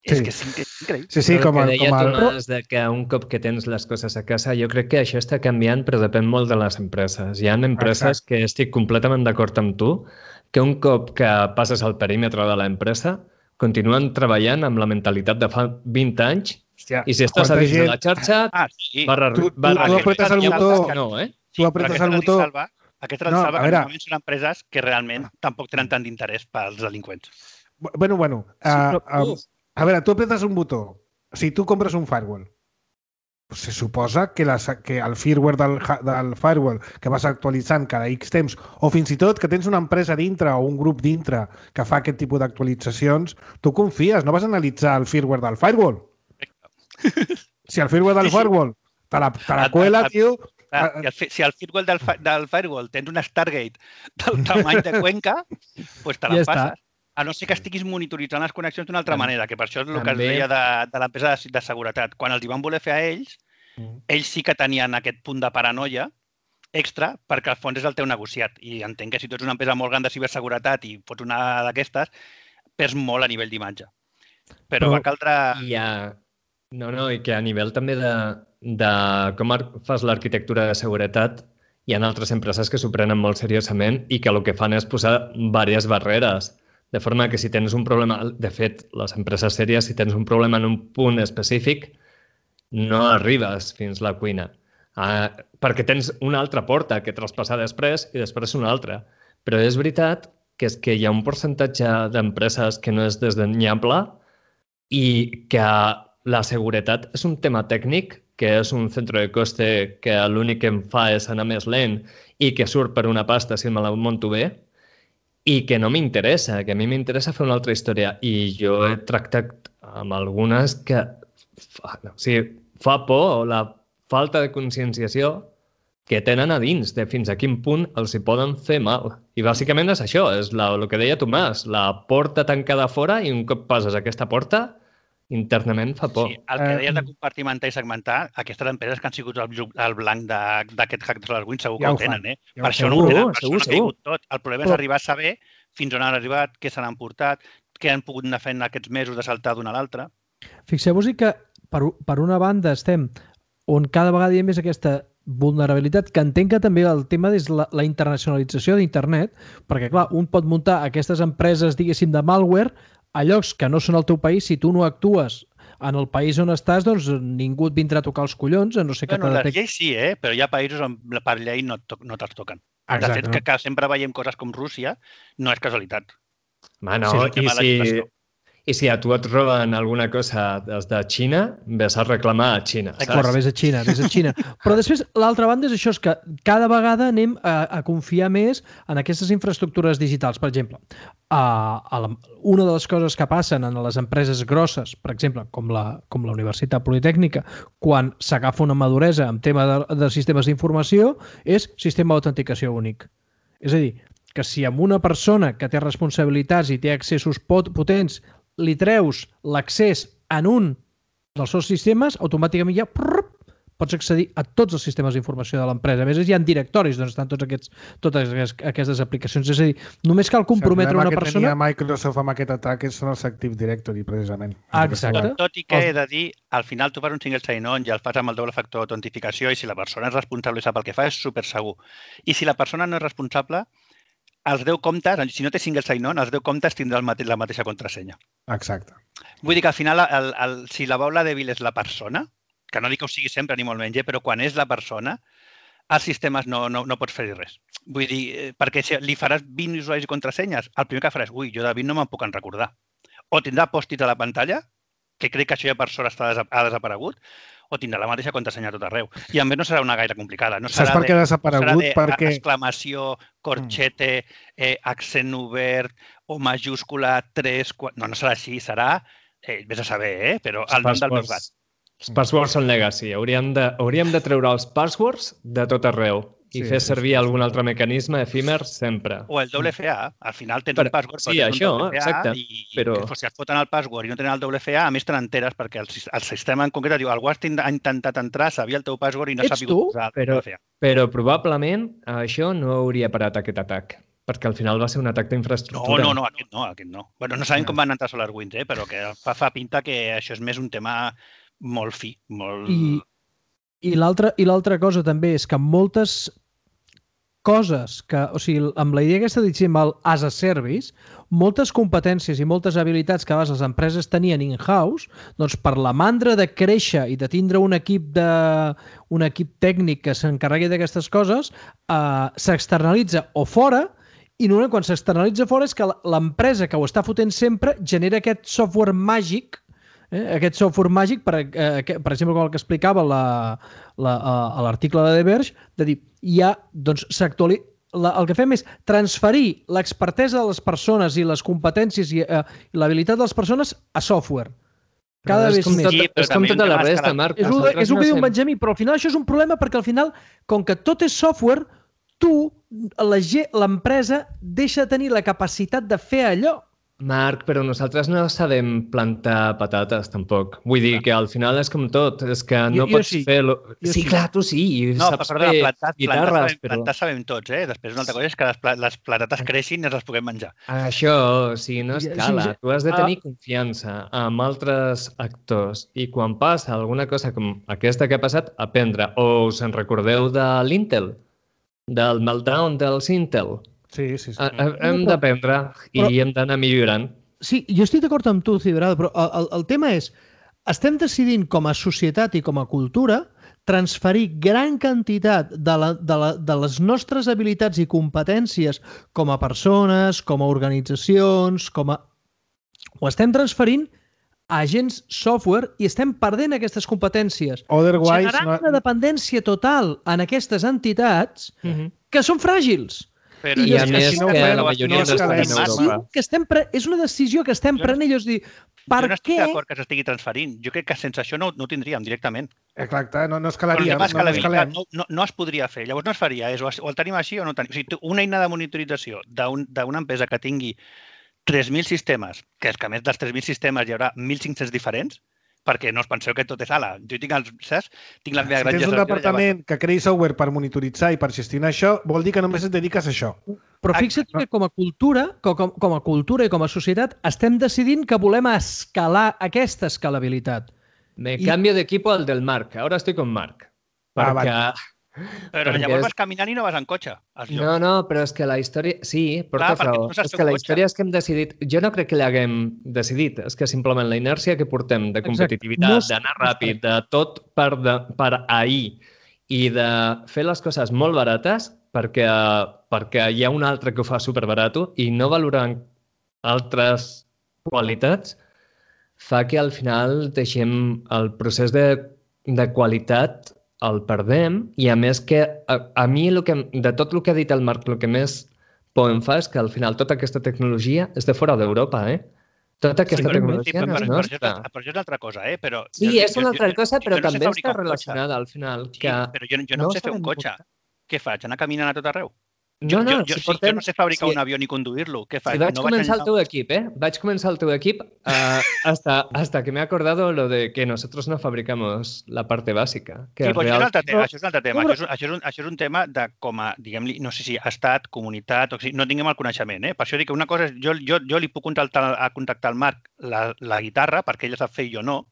És que és increïble. Sí, com el que deia Tomàs, que un cop que tens les coses a casa, jo crec que això està canviant, però depèn molt de les empreses. Hi ha empreses que estic completament d'acord amb tu, que un cop que passes al perímetre de l'empresa, continuen treballant amb la mentalitat de fa 20 anys, i si estàs a dins de la xarxa, tu apretes el botó... Tu apretes el botó... Aquesta salva que normalment són empreses que realment tampoc tenen tant d'interès pels delinqüents. Bueno. A veure, tu apretes un botó. Si tu compres un firewall, se suposa que el firmware del firewall que vas actualitzant cada X temps, o fins i tot que tens una empresa dintre o un grup dintre que fa aquest tipus d'actualitzacions, tu confies, no vas analitzar el firmware del firewall. Si el firmware del firewall te la cuela, tio... Si al firewall del firewall tens un Stargate del tamany de Cuenca, doncs te la passes. A no ser que estiguis monitoritzant les connexions d'una altra manera, que per això és el que es deia de l'empresa de seguretat. Quan els hi van voler fer a ells, ells sí que tenien aquest punt de paranoia extra perquè al fons és el teu negociat. I entenc que si tu ets una empresa molt gran de ciberseguretat i fots una d'aquestes, perds molt a nivell d'imatge. Però va caldre... I que a nivell també de com fas l'arquitectura de seguretat, hi ha altres empreses que s'ho prenen molt seriosament i que el que fan és posar diverses barreres. De forma que si tens un problema... De fet, les empreses sèries, si tens un problema en un punt específic, no arribes fins a la cuina. Perquè tens una altra porta que traspassar després i després una altra. Però és veritat que hi ha un percentatge d'empreses que no és desdenyable i que la seguretat és un tema tècnic, que és un centre de coste que l'únic que em fa és anar més lent i que surt per una pasta si me la munto bé, i que no m'interessa, que a mi m'interessa fer una altra història. I jo he tractat amb algunes que fa por la falta de conscienciació que tenen a dins de fins a quin punt els hi poden fer mal. I bàsicament és això, és el que deia Tomàs, la porta tancada fora i un cop passes aquesta porta, internament fa por. Sí, el que deies de compartimentar i segmentar, aquestes empreses que han sigut el blanc d'aquest hack de SolarWinds segur que ho tenen, eh? Per això no ho tenen, per això no ha caigut tot. El problema és arribar a saber fins on han arribat, què se n'han portat, què han pogut anar fent aquests mesos de saltar d'una a l'altra. Fixeu-vos que per una banda estem on cada vegada hi ha més aquesta vulnerabilitat, que entenc que també el tema és la internacionalització d'internet, perquè clar, un pot muntar aquestes empreses, diguéssim, de malware a llocs que no són el teu país. Si tu no actues en el país on estàs, doncs ningú et vindrà a tocar els collons, a no ser que... Bueno, les lleis sí, però hi ha països on per llei no te'ls toquen. De fet, que sempre veiem coses com Rússia, no és casualitat. I si a tu et roben alguna cosa des de Xina, ves a reclamar a Xina. Corre, ves a Xina. Però després, l'altra banda és això, és que cada vegada anem a confiar més en aquestes infraestructures digitals. Per exemple, una de les coses que passen en les empreses grosses, per exemple, com la Universitat Politècnica, quan s'agafa una maduresa en tema de sistemes d'informació, és sistema d'autenticació únic. És a dir, que si amb una persona que té responsabilitats i té accessos potents li treus l'accés en un dels seus sistemes, automàticament ja pots accedir a tots els sistemes d'informació de l'empresa. A més, hi ha directoris on estan totes aquestes aplicacions. És a dir, només cal comprometre una persona... El problema que tenia Microsoft amb aquest atac són els Active Directory, precisament. Exacte. Tot i que he de dir, al final tu fas un single sign-on i el fas amb el doble factor d'autentificació i si la persona és responsable i sap el que fa, és super segur. I si la persona no és responsable, els 10 comptes, si no té single sign-on, els 10 comptes tindrà la mateixa contrasenya. Exacte. Vull dir que al final, si la baula dèbil és la persona, que no dic que ho sigui sempre ni molt menys, però quan és la persona, als sistemes no pots fer-hi res. Vull dir, perquè si li faràs 20 usuaris i contrasenyes, el primer que faràs, jo de 20 no me'n puc en recordar. O tindrà pòstits a la pantalla, que crec que això ja per sort ha desaparegut, o tindrà la mateixa contrasenya a tot arreu. I a més no serà una gaire complicada. No serà per què ha desaparegut? Perquè... exclamació, corchete, accent obert o majúscula 3... No serà així, serà... Vés a saber, però el nom del meu gat. Els passwords són legacy. Hauríem de treure els passwords de tot arreu i fer servir algun altre mecanisme efímer sempre. O el WFA. Al final tens un password, sí, això, exacte. Però si et foten el password i no tenen el WFA, a més te n'enteres perquè el sistema en concret diu algú ha intentat entrar, sabia el teu password i no s'ha pogut posar el WFA. Però probablement això no hauria parat aquest atac, perquè al final va ser un atac d'infraestructura. No, aquest no. Bueno, no sabem com van entrar SolarWinds, però que fa pinta que això és més un tema molt fi, molt... I l'altra cosa també és que moltes coses que, o sigui, amb la idea aquesta de dir as a service, moltes competències i moltes habilitats que abans les empreses tenien in-house, doncs per la mandra de créixer i de tindre un equip tècnic que s'encarregui d'aquestes coses, s'externalitza o fora, i normalment quan s'externalitza fora és que l'empresa que ho està fotent sempre genera aquest software màgic, aquest software màgic, per exemple, com el que explicava a l'article de The Verge, de dir, ja, doncs, el que fem és transferir l'expertesa de les persones i les competències i l'habilitat de les persones a software. Cada vegada més. És com tota la resta, Marc. És el que diu Benjamí, però al final això és un problema perquè al final, com que tot és software, l'empresa deixa de tenir la capacitat de fer allò. Marc, però nosaltres no sabem plantar patates, tampoc. Vull dir que al final és com tot, és que no pots fer-lo... Sí, clar, tu sí, saps fer guitarres, però... Plantar sabem tots, Després una altra cosa és que les patates creixin i les puguem menjar. Això, o sigui, no escala. Tu has de tenir confiança amb altres actors i quan passa alguna cosa com aquesta que ha passat, aprendre. O us en recordeu de l'Intel? Del meltdown dels Intel? Sí. Hem d'aprendre i hem d'anar millorant. Sí, jo estic d'acord amb tu, Ciberado, però el tema és, estem decidint com a societat i com a cultura transferir gran quantitat de les nostres habilitats i competències com a persones, com a organitzacions, ho estem transferint a agents software i estem perdent aquestes competències. Generant una dependència total en aquestes entitats que són fràgils. I a més que la majoria no estan en Europa. És una decisió que estem prenent. Jo no estic d'acord que s'estigui transferint. Jo crec que sense això no ho tindríem directament. Exacte, no escalaria. No es podria fer. Llavors no es faria. O el tenim així o no el tenim. O sigui, una eina de monitorització d'una empresa que tingui 3.000 sistemes, que és que a més dels 3.000 sistemes hi haurà 1.500 diferents, perquè no us penseu que tot és ala. Jo tinc la meva granja... Si tens un departament que creï software per monitoritzar i per gestionar això, vol dir que només et dediques a això. Però fixa't que com a cultura i com a societat estem decidint que volem escalar aquesta escalabilitat. Me cambio de equipo al del Marc. Ahora estoy con Marc. Perquè... Però llavors vas caminant i no vas en cotxe. No, però és que la història... Sí, porta raó. És que la història és que hem decidit... Jo no crec que l'haguem decidit. És que simplement la inèrcia que portem de competitivitat, d'anar ràpid, de tot per ahir i de fer les coses molt barates perquè hi ha un altre que ho fa superbarato i no valorant altres qualitats fa que al final deixem el procés de qualitat el perdem i a més que a mi de tot el que ha dit el Marc el que més por em fa és que al final tota aquesta tecnologia és de fora d'Europa, Tota aquesta tecnologia no és nostra. Però això és una altra cosa, però... Sí, és una altra cosa, però també està relacionada al final. Però jo no sé fer un cotxe. Què faig? Anar caminant a tot arreu? Jo no sé fabricar un avió ni conduir-lo. Què faig? Vaig començar el teu equip, Vaig començar el teu equip hasta que me he acordado lo de que nosotros no fabricamos la parte bàsica. Sí, però això és un altre tema. Això és un tema de com a, diguem-li, no sé si estat, comunitat, o sigui, no tinguem el coneixement, Per això dic que una cosa és, jo li puc contactar al Marc la guitarra, perquè ell sap fer i jo no,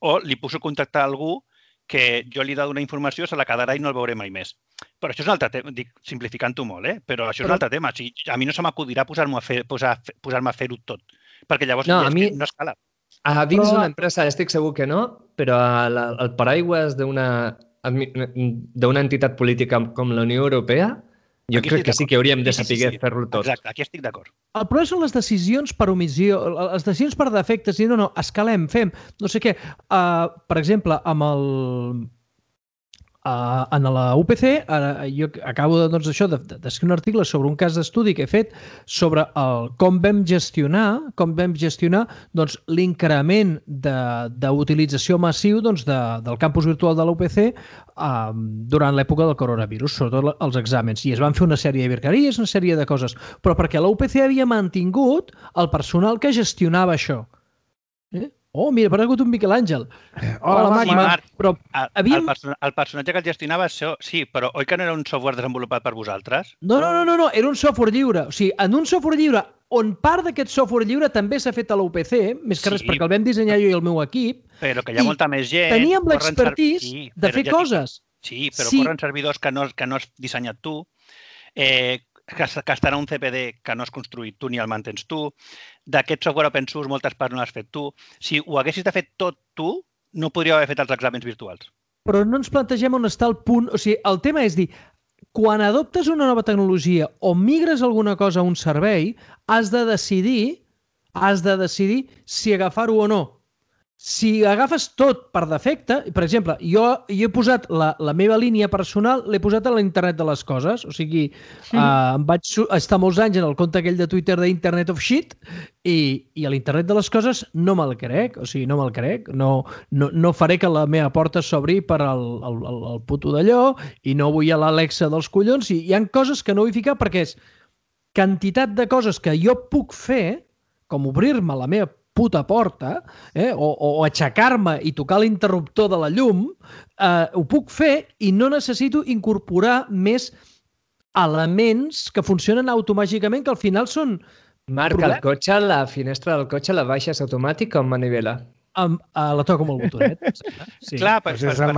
o li puc contactar algú que jo li he de donar informació, se la quedarà i no el veuré mai més. Però això és un altre tema, dic, simplificant-ho molt, però això és un altre tema. O sigui, a mi no se m'acudirà posar-me a fer-ho tot, perquè llavors no escala. A dins d'una empresa estic segur que no, però al paraigües d'una entitat política com la Unió Europea, jo crec que sí que hauríem de saber fer-lo tot. Exacte, aquí estic d'acord. El problema són les decisions per omissió, les decisions per defectes, i no, escalem, fem, no sé què. Per exemple, en la UPC, jo acabo d'escriure un article sobre un cas d'estudi que he fet sobre com vam gestionar l'increment d'utilització massiu del campus virtual de la UPC durant l'època del coronavirus, sobretot els exàmens. I es van fer una sèrie de virgueries, una sèrie de coses, però perquè la UPC havia mantingut el personal que gestionava això. Oh, mira, ha aparegut un Miquel Àngel. Hola, Marc. Però el personatge que el gestionava, sí, però oi que no era un software desenvolupat per vosaltres? No, era un software lliure. O sigui, en un software lliure, on part d'aquest software lliure també s'ha fet a la UPC, més que res perquè el vam dissenyar jo i el meu equip. Però que hi ha molta més gent. Teníem l'expertís de fer coses. Sí, però corren servidors que no has dissenyat tu, que estan a un CPD que no has construït tu ni el mantens tu. D'aquest software open source moltes parts no l'has fet tu. Si ho haguessis de fer tot tu, no podríeu haver fet els exàmens virtuals. Però no ens plantegem on està el punt. O sigui, el tema és dir, quan adoptes una nova tecnologia o migres alguna cosa a un servei, has de decidir si agafar-ho o no. Si agafes tot per defecte, per exemple, jo he posat la meva línia personal, l'he posat a l'internet de les coses, o sigui, em vaig estar molts anys en el compte aquell de Twitter d'Internet of Shit i a l'internet de les coses no me'l crec, o sigui, no me'l crec, no faré que la meva porta s'obri per al puto d'allò i no vull a l'Alexa dels collons i hi ha coses que no vull ficar perquè és quantitat de coses que jo puc fer, com obrir-me la meva puta porta, o aixecar-me i tocar l'interruptor de la llum, ho puc fer i no necessito incorporar més elements que funcionen automàticament, que al final són... Marc, el cotxe, la finestra del cotxe la baixes automàtic o amb manivela? La toco amb el botonet. Sí. Clar, perquè és al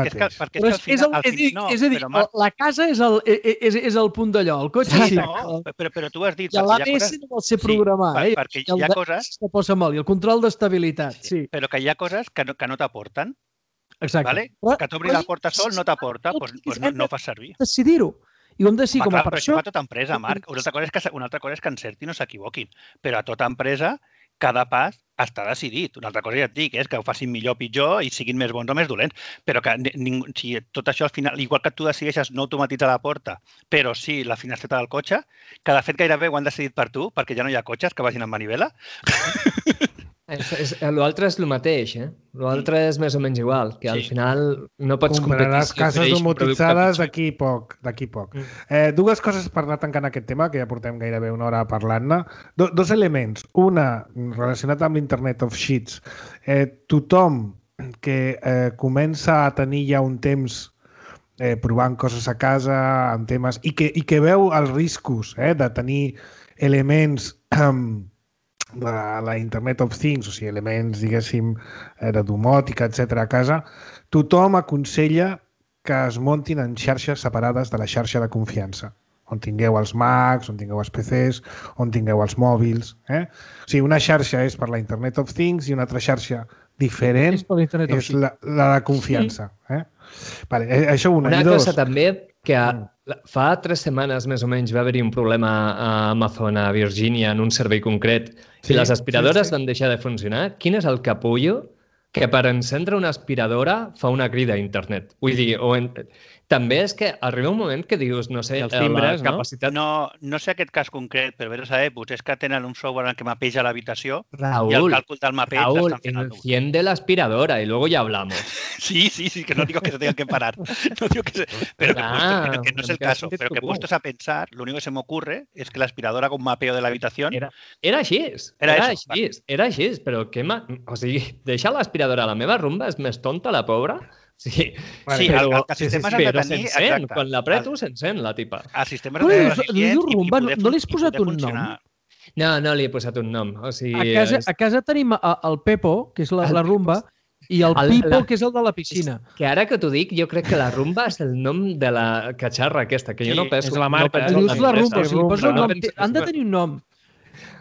final... És a dir, la casa és el punt d'allò, el cotxe... Sí, no, però tu has dit... I l'ABS no vol ser programar, perquè hi ha coses... Que posa molt, i el control d'estabilitat, sí. Però que hi ha coses que no t'aporten. Exacte. Que t'obri la porta sol no t'aporta, doncs no fas servir. Decidir-ho. I ho hem de decidir com a per això... Però a tota empresa, Marc. Una altra cosa és que encertin o s'equivoquin. Però a tota empresa, cada pas està decidit. Una altra cosa ja et dic, és que ho facin millor o pitjor i siguin més bons o més dolents. Però que si tot això al final, igual que tu decideixes no automatitzar la porta, però sí la finestreta del cotxe, que de fet gairebé ho han decidit per tu, perquè ja no hi ha cotxes que vagin amb manivela. L'altre és el mateix, L'altre és més o menys igual, que al final no pots competir... Compraràs cases domotitzades d'aquí poc. Dues coses per anar tancant aquest tema, que ja portem gairebé una hora parlant-ne. Dos elements. Una, relacionat amb l'Internet of Sheets. Tothom que comença a tenir ja un temps provant coses a casa, amb temes, i que veu els riscos de tenir elements... de la Internet of Things, o sigui, elements, diguéssim, de domòtica, etc. a casa, tothom aconsella que es muntin en xarxes separades de la xarxa de confiança, on tingueu els Macs, on tingueu els PCs, on tingueu els mòbils. O sigui, una xarxa és per la Internet of Things i una altra xarxa diferent és la de confiança. Vale, això una. Una cosa també que fa 3 setmanes més o menys va haver-hi un problema a Amazon, a Virgínia, en un servei concret, i les aspiradores van deixar de funcionar. Quin és el capullo que per encendre una aspiradora fa una crida a internet? Vull dir, també és que arriba un moment que dius, no sé, la capacitat... No sé aquest cas concret, però vés a saber, potser és que tenen un software en què mapeja l'habitació i el càlcul del mapeig l'estan fent. Raúl, enciende la aspiradora y luego ya hablamos. Sí, que no digo que se tengan que parar. No digo pero que no es el caso. Pero que puestos a pensar, lo único que se me ocurre es que la aspiradora haga un mapeo de la habitación... Era així, però què... O sigui, deixar l'aspiradora a la meva rumba és més tonta, la pobra? Sí, el sistema s'ha de tenir... Exacte. Quan l'apreto, s'encén la tipa. El sistema s'ha de tenir eficients i poder no li has posat un nom? No li he posat un nom. O sigui, a casa tenim el Pepo, que és la rumba, i el Pipo, que és el de la piscina. Que ara que t'ho dic, jo crec que la rumba és el nom de la catxarra aquesta, que jo no penso... És la marca. Dius la rumba, o sigui, posa un nom. Han de tenir un nom.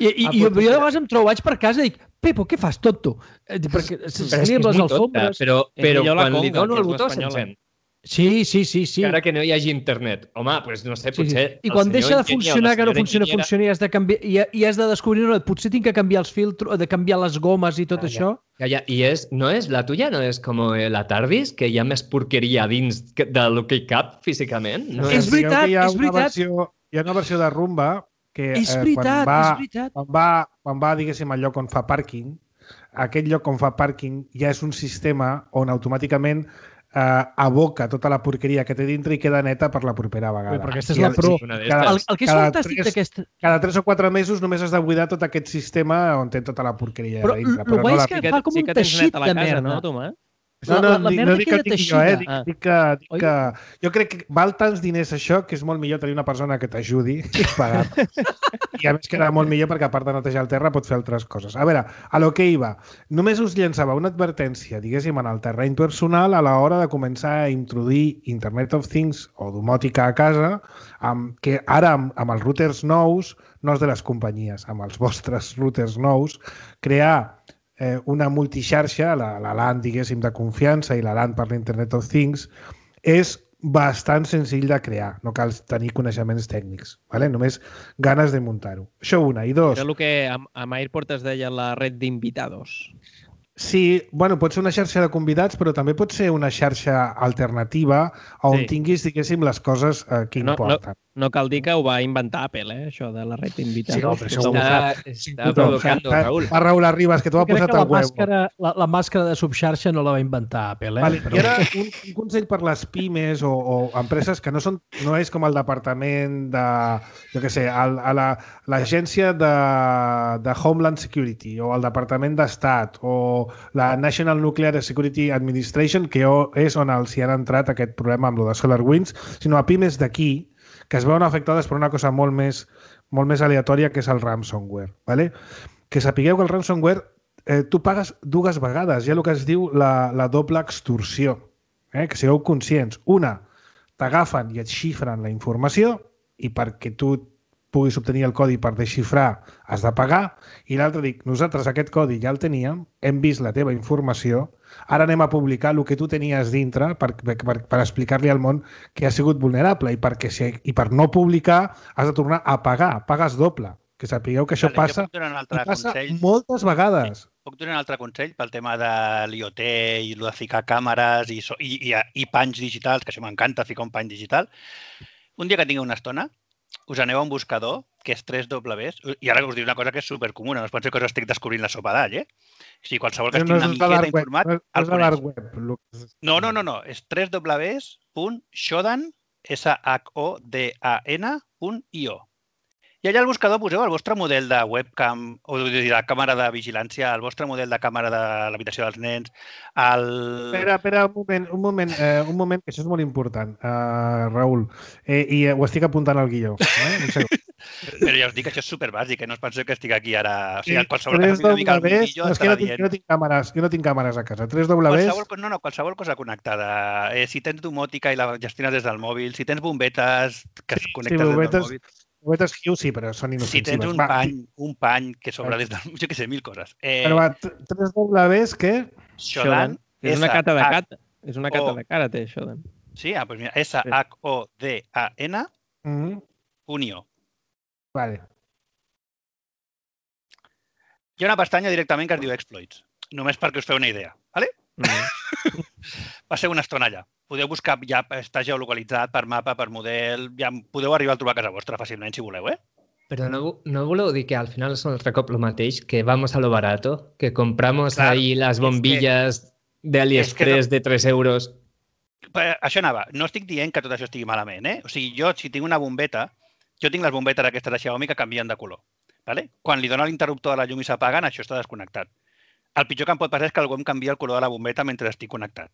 I jo de vegades em trobo, vaig per casa i dic, Pepo, què fas, tonto? Perquè és les alfombres... Però quan li dono el botó s'encén. Sí. Encara que no hi hagi internet. Home, doncs no sé, potser... I quan deixa de funcionar, que no funciona i has de canviar, i has de descobrir, potser tinc que canviar els filtros, de canviar les gomes i tot això. I la tuya no és com la Tardis, que hi ha més porqueria dins del que hi cap físicament? És veritat. Hi ha una versió de rumba que quan va, diguéssim, al lloc on fa pàrquing, aquest lloc on fa pàrquing ja és un sistema on automàticament aboca tota la porqueria que té dintre i queda neta per la propera vegada. Però aquesta és la pro. El que és fantàstic d'aquesta... Cada 3 o 4 mesos només has de buidar tot aquest sistema on té tota la porqueria dintre. Però el guai és que fa com un teixit de merda. No, Tomàs? No dic que ho digui jo, dic que... Jo crec que val tants diners això que és molt millor tenir una persona que t'ajudi i pagar. I a més queda molt millor perquè a part de netejar el terra pot fer altres coses. A veure, a lo que iba. Només us llançava una advertència, diguéssim, en el terreny personal a l'hora de començar a introduir Internet of Things o domòtica a casa, que ara amb els routers nous, no els de les companyies, amb els vostres routers nous, crear una multixarxa, la LAN, diguéssim, de confiança i la LAN per l'Internet of Things, és bastant senzill de crear. No cal tenir coneixements tècnics, ¿vale? Només ganes de muntar-ho. Això una. I dos... Era el que amb Airport es deia la red d'invitados. Sí, bueno, pot ser una xarxa de convidats, però també pot ser una xarxa alternativa on tinguis, diguéssim, les coses que importen. No cal dir que ho va inventar Apple, això de la red d'invitados. Sí, però està provocant, Raül. Va, Raül Arribas, que t'ho ha posat al web. La màscara de subxarxa no la va inventar Apple, Vale, però... I ara un consell per les pimes o empreses que no és com el departament de, jo què sé, l'agència de Homeland Security o el departament d'Estat o la National Nuclear Security Administration, que és on els hi han entrat aquest problema amb lo de SolarWinds, sinó a pimes d'aquí, que es veuen afectades per una cosa molt més aleatòria, que és el ransomware. ¿Vale? Que sapigueu que el ransomware tu pagues dues vegades. Hi ha el que es diu la doble extorsió. Que sigueu conscients. Una, t'agafen i et xifren la informació i perquè tu puguis obtenir el codi per desxifrar has de pagar, i l'altre dic, nosaltres aquest codi ja el teníem, hem vist la teva informació, ara anem a publicar el que tu tenies dintre per explicar-li al món que ha sigut vulnerable i per no publicar has de tornar a pagar, pagues doble. Que sapigueu que això passa moltes vegades. Puc donar un altre consell pel tema de l'IoT i el de ficar càmeres i panys digitals, que això m'encanta, ficar un pany digital. Un dia que tingui una estona, us aneu a un buscador, que és 3W, i ara us dic una cosa que és supercomuna, no es pot ser que us estic descobrint la sopa d'all, O sigui, qualsevol que estigui una miqueta informat, el coneix. No, és www.shodan.io. I allà al buscador poseu el vostre model de webcam, o de càmera de vigilància, el vostre model de càmera de l'habitació dels nens, Espera, un moment, que això és molt important, Raül, i ho estic apuntant al guió. Però ja us dic que això és superbàsic, no us penseu que estic aquí ara... O sigui, qualsevol que una mica al mundillo estarà dient... Jo no tinc càmeres a casa. 3W... Qualsevol cosa connectada. Si tens domòtica i la gestiones des del mòbil, si tens bombetes que es connectes des del mòbil... Bombetes Hue sí, però són inofensives. Si tens un pany que sobra des del... Jo què sé, 1000 coses. Però va, 3Ws, què? Shodan. És una cata de cata. És una cata de karate, Shodan. Sí? Doncs mira, SHODAN.io. Vale. Hi ha una pestanya directament que es diu Exploits, només perquè us feu una idea. Vale? Va ser una estona allà. Podeu buscar, ja està geolocalitzat per mapa, per model, ja podeu arribar a trobar a casa vostra fàcilment si voleu, Però no voleu dir que al final és un altre cop el mateix, que vamos a lo barato, que compramos ahí las bombillas de AliExpress de 3 euros. Això anava. No estic dient que tot això estigui malament, O sigui, jo, si tinc una bombeta, jo tinc les bombetes aquestes de Xiaomi que canvien de color. Quan li dona l'interruptor a la llum i s'apaguen, això està desconnectat. El pitjor que em pot passar és que algú em canvia el color de la bombeta mentre estic connectat.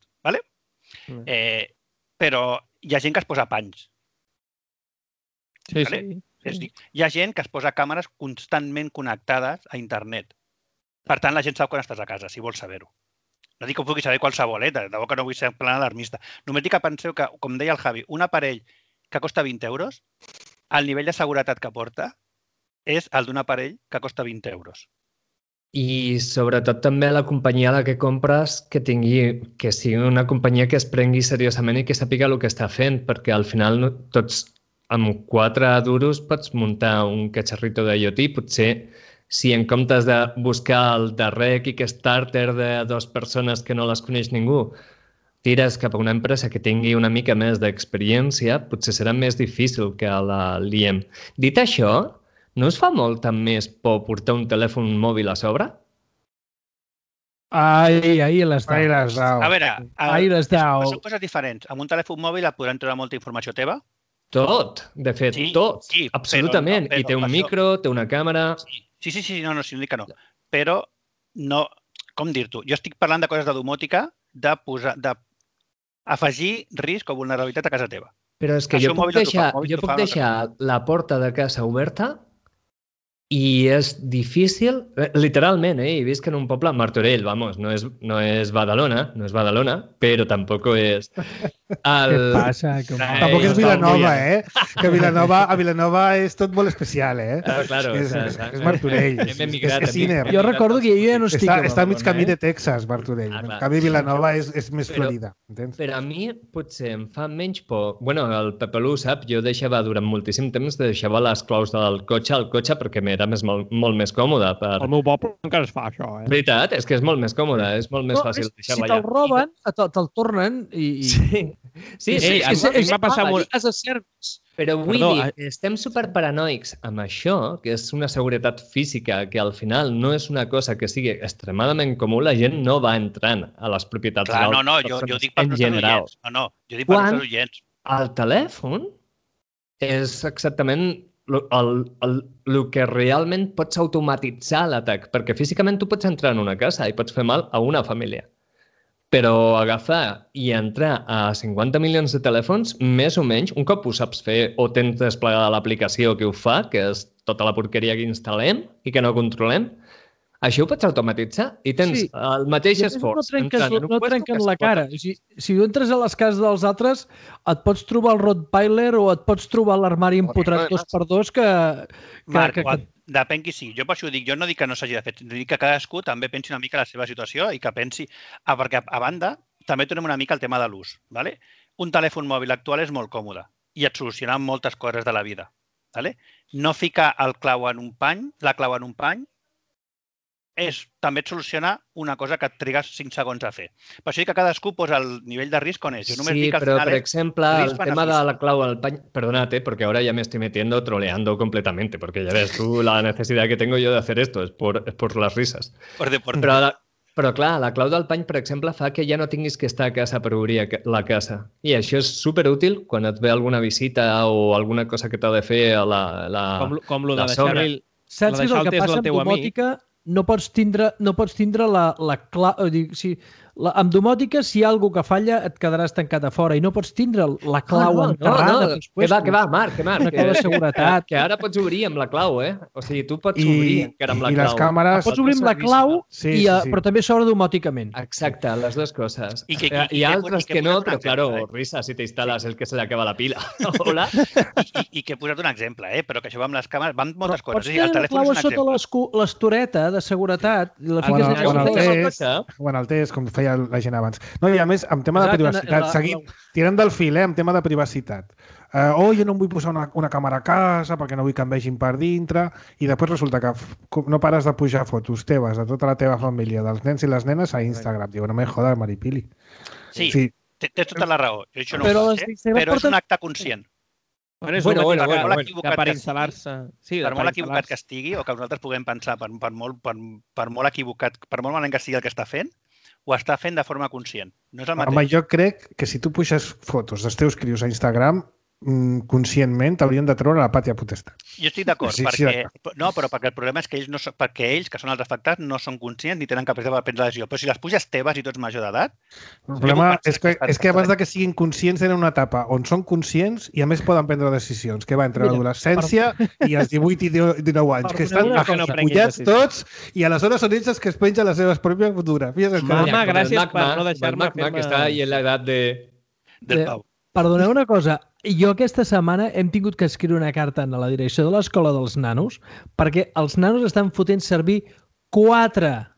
Però hi ha gent que es posa panys. Sí. Hi ha gent que es posa càmeres constantment connectades a internet. Per tant, la gent sap quan estàs a casa, si vols saber-ho. No dic que ho pugui saber qualsevol, de debò que no vull ser en plan alarmista. Només dic que penseu que, com deia el Javi, un aparell que costa 20 euros, el nivell de seguretat que porta és el d'un aparell que costa 20 euros. I sobretot també la companyia a la que compres que sigui una companyia que es prengui seriosament i que sàpiga el que està fent, perquè al final tots amb 4 duros pots muntar un catxarrito d'IoT. Potser si en comptes de buscar el darrer Kickstarter de 2 persones que no les coneix ningú, tires cap a una empresa que tingui una mica més d'experiència, potser serà més difícil que la liem. Dit això, no us fa molta més por portar un telèfon mòbil a sobre? Ahí les dau. A veure, són coses diferents. Amb un telèfon mòbil et podran treure molta informació teva. Tot, de fet, tot. Sí, absolutament. I té un micro, té una càmera... Sí, no dic que no. Però no... Com dir-t'ho? Jo estic parlant de coses de domòtica d'afegir risc o vulnerabilitat a casa teva. Però és que jo puc deixar la porta de casa oberta i és difícil, literalment, he vist que en un poble, Martorell, vamos, no és Badalona, però tampoc és... Què passa? Tampoc és Vilanova, Que a Vilanova és tot molt especial, Claro, és Martorell. És Ciner. Jo recordo que jo ja no estic a Badalona. Està a mig camí de Texas, Martorell. En canvi, Vilanova és més Florida. Per a mi potser em fa menys por... Bueno, el Pepelú sap, jo deixava durant moltíssim temps, deixava les claus del cotxe al cotxe perquè era molt més còmode. Al meu poble encara es fa això, Veritat, és que és molt més còmode, és molt més fàcil deixar-la allà. Si te'l roben, te'l tornen i... Sí, m'ha passat molt... Però vull dir, estem superparanoics amb això, que és una seguretat física, que al final no és una cosa que sigui extremadament comú, la gent no va entrant a les propietats Clar, no, jo dic per nostres oients. No, jo dic per nostres oients. El telèfon és exactament el que realment pots automatitzar l'atac, perquè físicament tu pots entrar en una casa i pots fer mal a una família. Però agafar i entrar a 50 milions de telèfons, més o menys, un cop ho saps fer o tens desplegada l'aplicació que ho fa, que és tota la porqueria que instal·lem i que no controlem, això ho pots automatitzar i tens el mateix esforç. No trenquen la cara. Si tu entres a les cases dels altres, et pots trobar el Rottweiler o et pots trobar l'armari empotrat 2x2 que... Marc, depèn qui sigui. Jo per això dic, jo no dic que no s'hagi de fer, dic que cadascú també pensi una mica la seva situació i que pensi... Perquè, a banda, també tornem una mica al tema de l'ús. Un telèfon mòbil actual és molt còmode i et soluciona moltes coses de la vida. No ficar la clau en un pany, també et soluciona una cosa que et trigues 5 segons a fer. Per això dic que cadascú posa el nivell de risc on és. Sí, però, per exemple, el tema de la clau al pany... Perdónate, porque ahora ya me estoy metiendo, troleando completamente, porque ya ves tú la necesidad que tengo yo de hacer esto, es por las risas. Però clar, la clau del pany, per exemple, fa que ja no tinguis que estar a casa per obrir la casa. I això és superútil quan et ve alguna visita o alguna cosa que t'ha de fer a la com lo de deixar-li... Saps que el que passa amb domòtica... No pots tindre la clau... Amb domòtica, si hi ha alguna que falla, et quedaràs tancat a fora i no pots tindre la clau enterrada. Que va, Marc. Una clau de seguretat. Que ara pots obrir amb la clau, O sigui, tu pots obrir encara amb la clau. I les càmeres... Pots obrir amb la clau, però també s'obre domòticament. Exacte, les dues coses. Hi ha altres que no, però, claro, risa, si t'instal·les el que se li acaba la pila. Hola. I que he posat un exemple, però que això va amb les càmeres, van moltes coses. Pots tenir la clau sota l'estoreta de seguretat i la fiques en el test, com feia la gent abans. No, i a més, amb tema de privacitat, seguim tirant del fil, amb tema de privacitat. Jo no em vull posar una càmera a casa perquè no vull que em vegin per dintre i després resulta que no pares de pujar fotos teves de tota la teva família, dels nens i les nenes a Instagram. Diu, no me jodas, Maripili. Sí, tens tota la raó. Jo això no ho faig, però és un acte conscient. Per instal·lar-se... Per molt equivocat que estigui o que nosaltres puguem pensar per molt equivocat, per molt malament que sigui el que està fent, ho està fent de forma conscient. No és el mateix. Home, jo crec que si tu puixes fotos dels teus crios a Instagram, conscientment t'haurien de treure la pàtria potestat. Jo estic d'acord, perquè el problema és que ells, que són els afectats, no són conscients ni tenen capacitat de prendre la decisió. Però si les puges teves i tu ets major d'edat... El problema és que abans que siguin conscients tenen una etapa on són conscients i a més poden prendre decisions, que va entre l'adolescència i els 18 i 19 anys, que estan afullats tots i aleshores són ells els que es pengen les seves pròpies fotografies. Mama, gràcies per no deixar-me fer-me... que està ahí en l'edat del Pau. Perdoneu una cosa, jo aquesta setmana hem tingut que escriure una carta a la direcció de l'escola dels nanos perquè els nanos estan fotent servir 4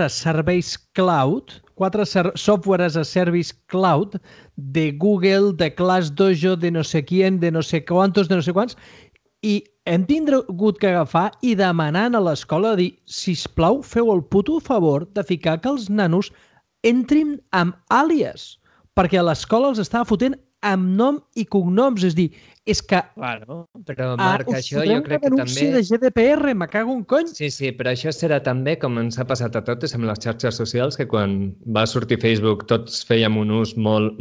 serveis cloud, 4 software as a service cloud de Google, de ClassDojo, de no sé quién, de no sé quantos, de no sé quants, i hem tingut que agafar i demanar a l'escola dir, sisplau, feu el puto favor de ficar que els nanos entrin amb àlies, perquè a l'escola els estava fotent amb nom i cognoms. És dir, és que... Claro, però Marc, això jo crec que també... de GDPR, me cago en cony. Sí, però això serà també com ens ha passat a totes amb les xarxes socials, que quan va sortir Facebook tots fèiem un ús molt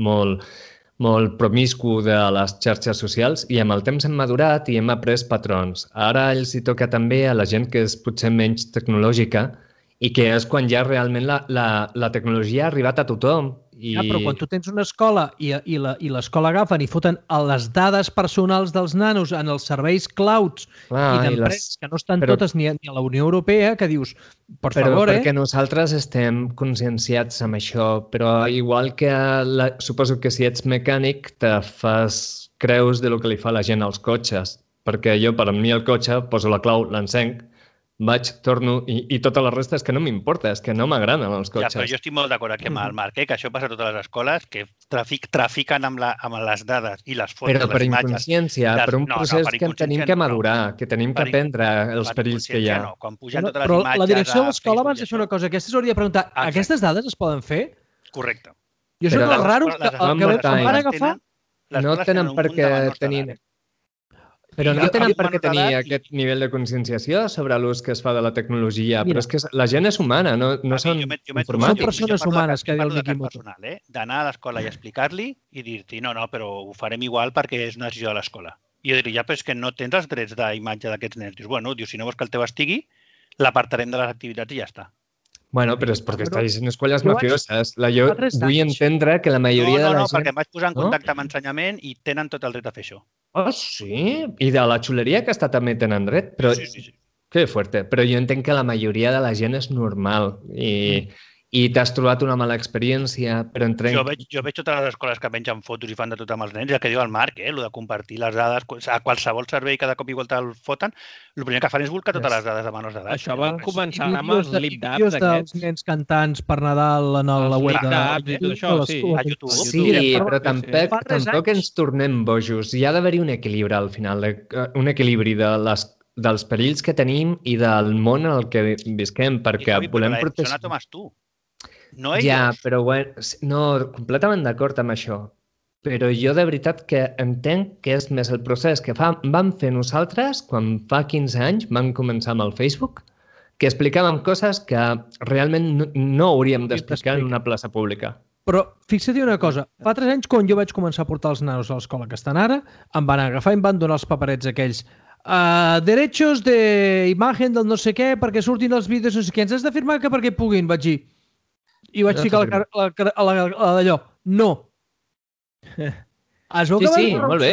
promiscu de les xarxes socials i amb el temps hem madurat i hem après patrons. Ara els hi toca també a la gent que és potser menys tecnològica i que és quan ja realment la tecnologia ha arribat a tothom. Però quan tu tens una escola i l'escola agafen i foten les dades personals dels nanos en els serveis clouds i d'empreses que no estan totes ni a la Unió Europea, que dius, per favor, perquè nosaltres estem conscienciats amb això, però igual que suposo que si ets mecànic te fas creus de lo que li fa la gent als cotxes, perquè jo, per a mi el cotxe, poso la clau, l'encenc, vaig, torno, i tota la resta és que no m'importa, és que no m'agraden els cotxes. Ja, però jo estic molt d'acord aquí amb el Marc, que això passa a totes les escoles, que trafiquen amb les dades i les fotos, però per les imatges. Inconsciència, per un procés que tenim que madurar, que tenim que aprendre els perills que hi ha. Quan pugen totes les imatges... Però la direcció de l'escola abans de fer una cosa, aquesta s'hauria de preguntar, aquestes dades es poden fer? Correcte. Jo són els raros que van agafar... No tenen per què tenir... Però no tenen per què tenir aquest nivell de conscienciació sobre l'ús que es fa de la tecnologia, però és que la gent és humana, no són informàtics. Són persones humanes, que diu el Mikimoto. D'anar a l'escola i explicar-li i dir-te, no, però ho farem igual perquè és una decisió de l'escola. I jo diria, però és que no tens els drets d'imatge d'aquests nens. Dius, bueno, si no vols que el teu estigui, l'apartarem de les activitats i ja està. Bueno, però és perquè estàs en escoles mafioses. Jo vull entendre que la majoria de la gent... No, perquè em vaig posar en contacte amb ensenyament i tenen tot el dret a fer això. Oh, sí? I de la xuleria aquesta també tenen dret? Però... Sí. Que fuerte. Però jo entenc que la majoria de la gent és normal i t'has trobat una mala experiència, però Jo veig totes les escoles que pengen fotos i fan de tot amb els nens, i el que diu el Marc, el de compartir les dades, a qualsevol servei cada cop i volta el foten, el primer que fan és volcar totes les dades de menors d'edat. Això van començar amb els lip-dubs d'aquests. Dels nens cantants per Nadal en la web de... I tot això, sí. A YouTube. Sí, però tampoc ens tornem bojos. Hi ha d'haver-hi un equilibri al final, un equilibri dels perills que tenim i del món en el que visquem, perquè volem protegir... Però la tomes tu. No ells. Ja, però bueno, no, completament d'acord amb això. Però jo de veritat que entenc que és més el procés que vam fer nosaltres quan fa 15 anys vam començar amb el Facebook, que explicàvem coses que realment no hauríem d'explicar en una plaça pública. Però fixa't una cosa, fa 3 anys quan jo vaig començar a portar els nanos a l'escola que estan ara, em van agafar i em van donar els paperets aquells derechos de imagen del no sé què perquè surtin els vídeos no sé què, ens has de firmar que perquè puguin, vaig dir. I vaig ficar d'allò. No. Es veu que molt bé.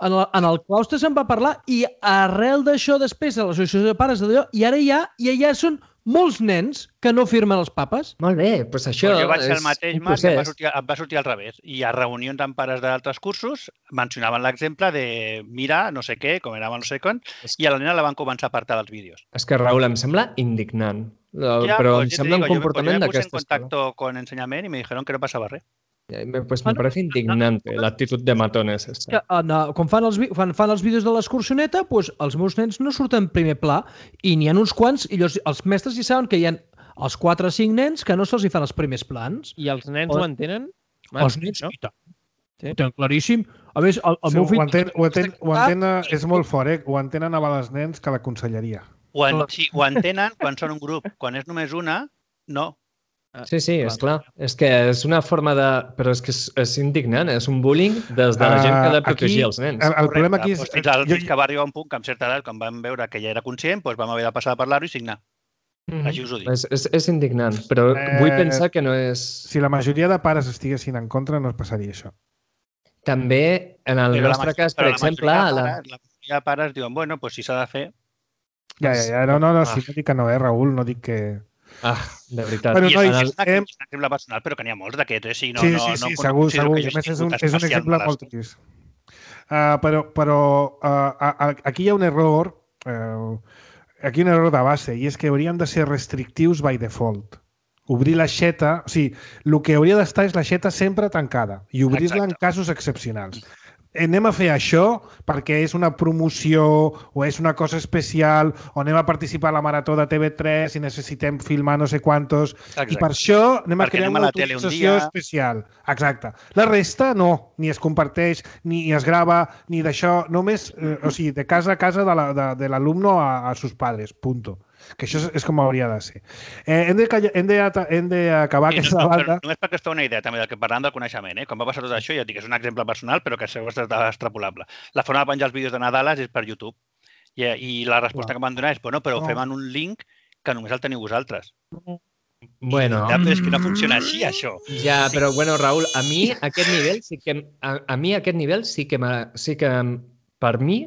En el claustre se'n va parlar i arrel d'això després a l'associació de pares d'allò i ara ja són molts nens que no firmen els papes. Molt bé, doncs això jo vaig fer el mateix, Marc, em va sortir al revés. I a reunions amb pares d'altres cursos mencionaven l'exemple de mira, no sé què, com anava no sé quan, i a la nena la van començar a apartar dels vídeos. És que, Raül, em sembla indignant. Però em sembla un comportament d'aquesta escola. Yo me puse en contacto con enseñamiento y me dijeron que no pasaba res. Pues me parece indignante l'actitud de matones. Quan fan els vídeos de l'excursioneta, els meus nens no surten en primer pla i n'hi ha uns quants, i els mestres hi saben que hi ha els 4 o 5 nens que no se'ls hi fan els primers plans. I els nens ho entenen? Els nens, i tant. Ho tenen claríssim. A més, el meu fill... Ho entenen, és molt fort, ho entenen a les nens que la conselleria. Ho entenen quan són un grup. Quan és només una, no. Sí, és clar. És que és una forma de... Però és que és indignant, és un bullying des de la gent que ha de protegir els nens. El problema aquí és... Fins que va arribar un punt que amb certa edat, quan vam veure que ja era conscient, vam haver de passar a parlar-ho i signar. Així us ho dic. És indignant, però vull pensar que no és... Si la majoria de pares estiguessin en contra, no es passaria això. També, en el nostre cas, per exemple... La majoria de pares diuen, bueno, si s'ha de fer... Ja, no, si no dic que no, Raül, no dic que... de veritat. Bueno, no, és un exemple personal, però que n'hi ha molts d'aquests. Sí, segur. És un exemple molt trist. Però aquí hi ha un error, de base, i és que haurien de ser restrictius by default. Obrir l'aixeta, o sigui, el que hauria d'estar és l'aixeta sempre tancada i obrir-la en casos excepcionals. Anem a fer això perquè és una promoció o és una cosa especial o anem a participar a la marató de TV3 i necessitem filmar no sé quantos. Exacte. I per això anem a crear una autorització especial. Exacte. La resta no, ni es comparteix, ni es grava, ni d'això. Només, de casa a casa de l'alumno a sus padres. Punto. Que això és com hauria de ser. Hem d'acabar aquesta banda... Només perquè es fa una idea també del que parlàvem del coneixement. Quan va passar tot això, ja dic que és un exemple personal, però que és extrapolable. La forma de penjar els vídeos de Nadales és per YouTube. I la resposta que m'han donat és, bueno, però ho fem en un link que només el teniu vosaltres. Bueno. És que no funciona així, això. Ja, però bueno, Raül, a mi aquest nivell sí que per mi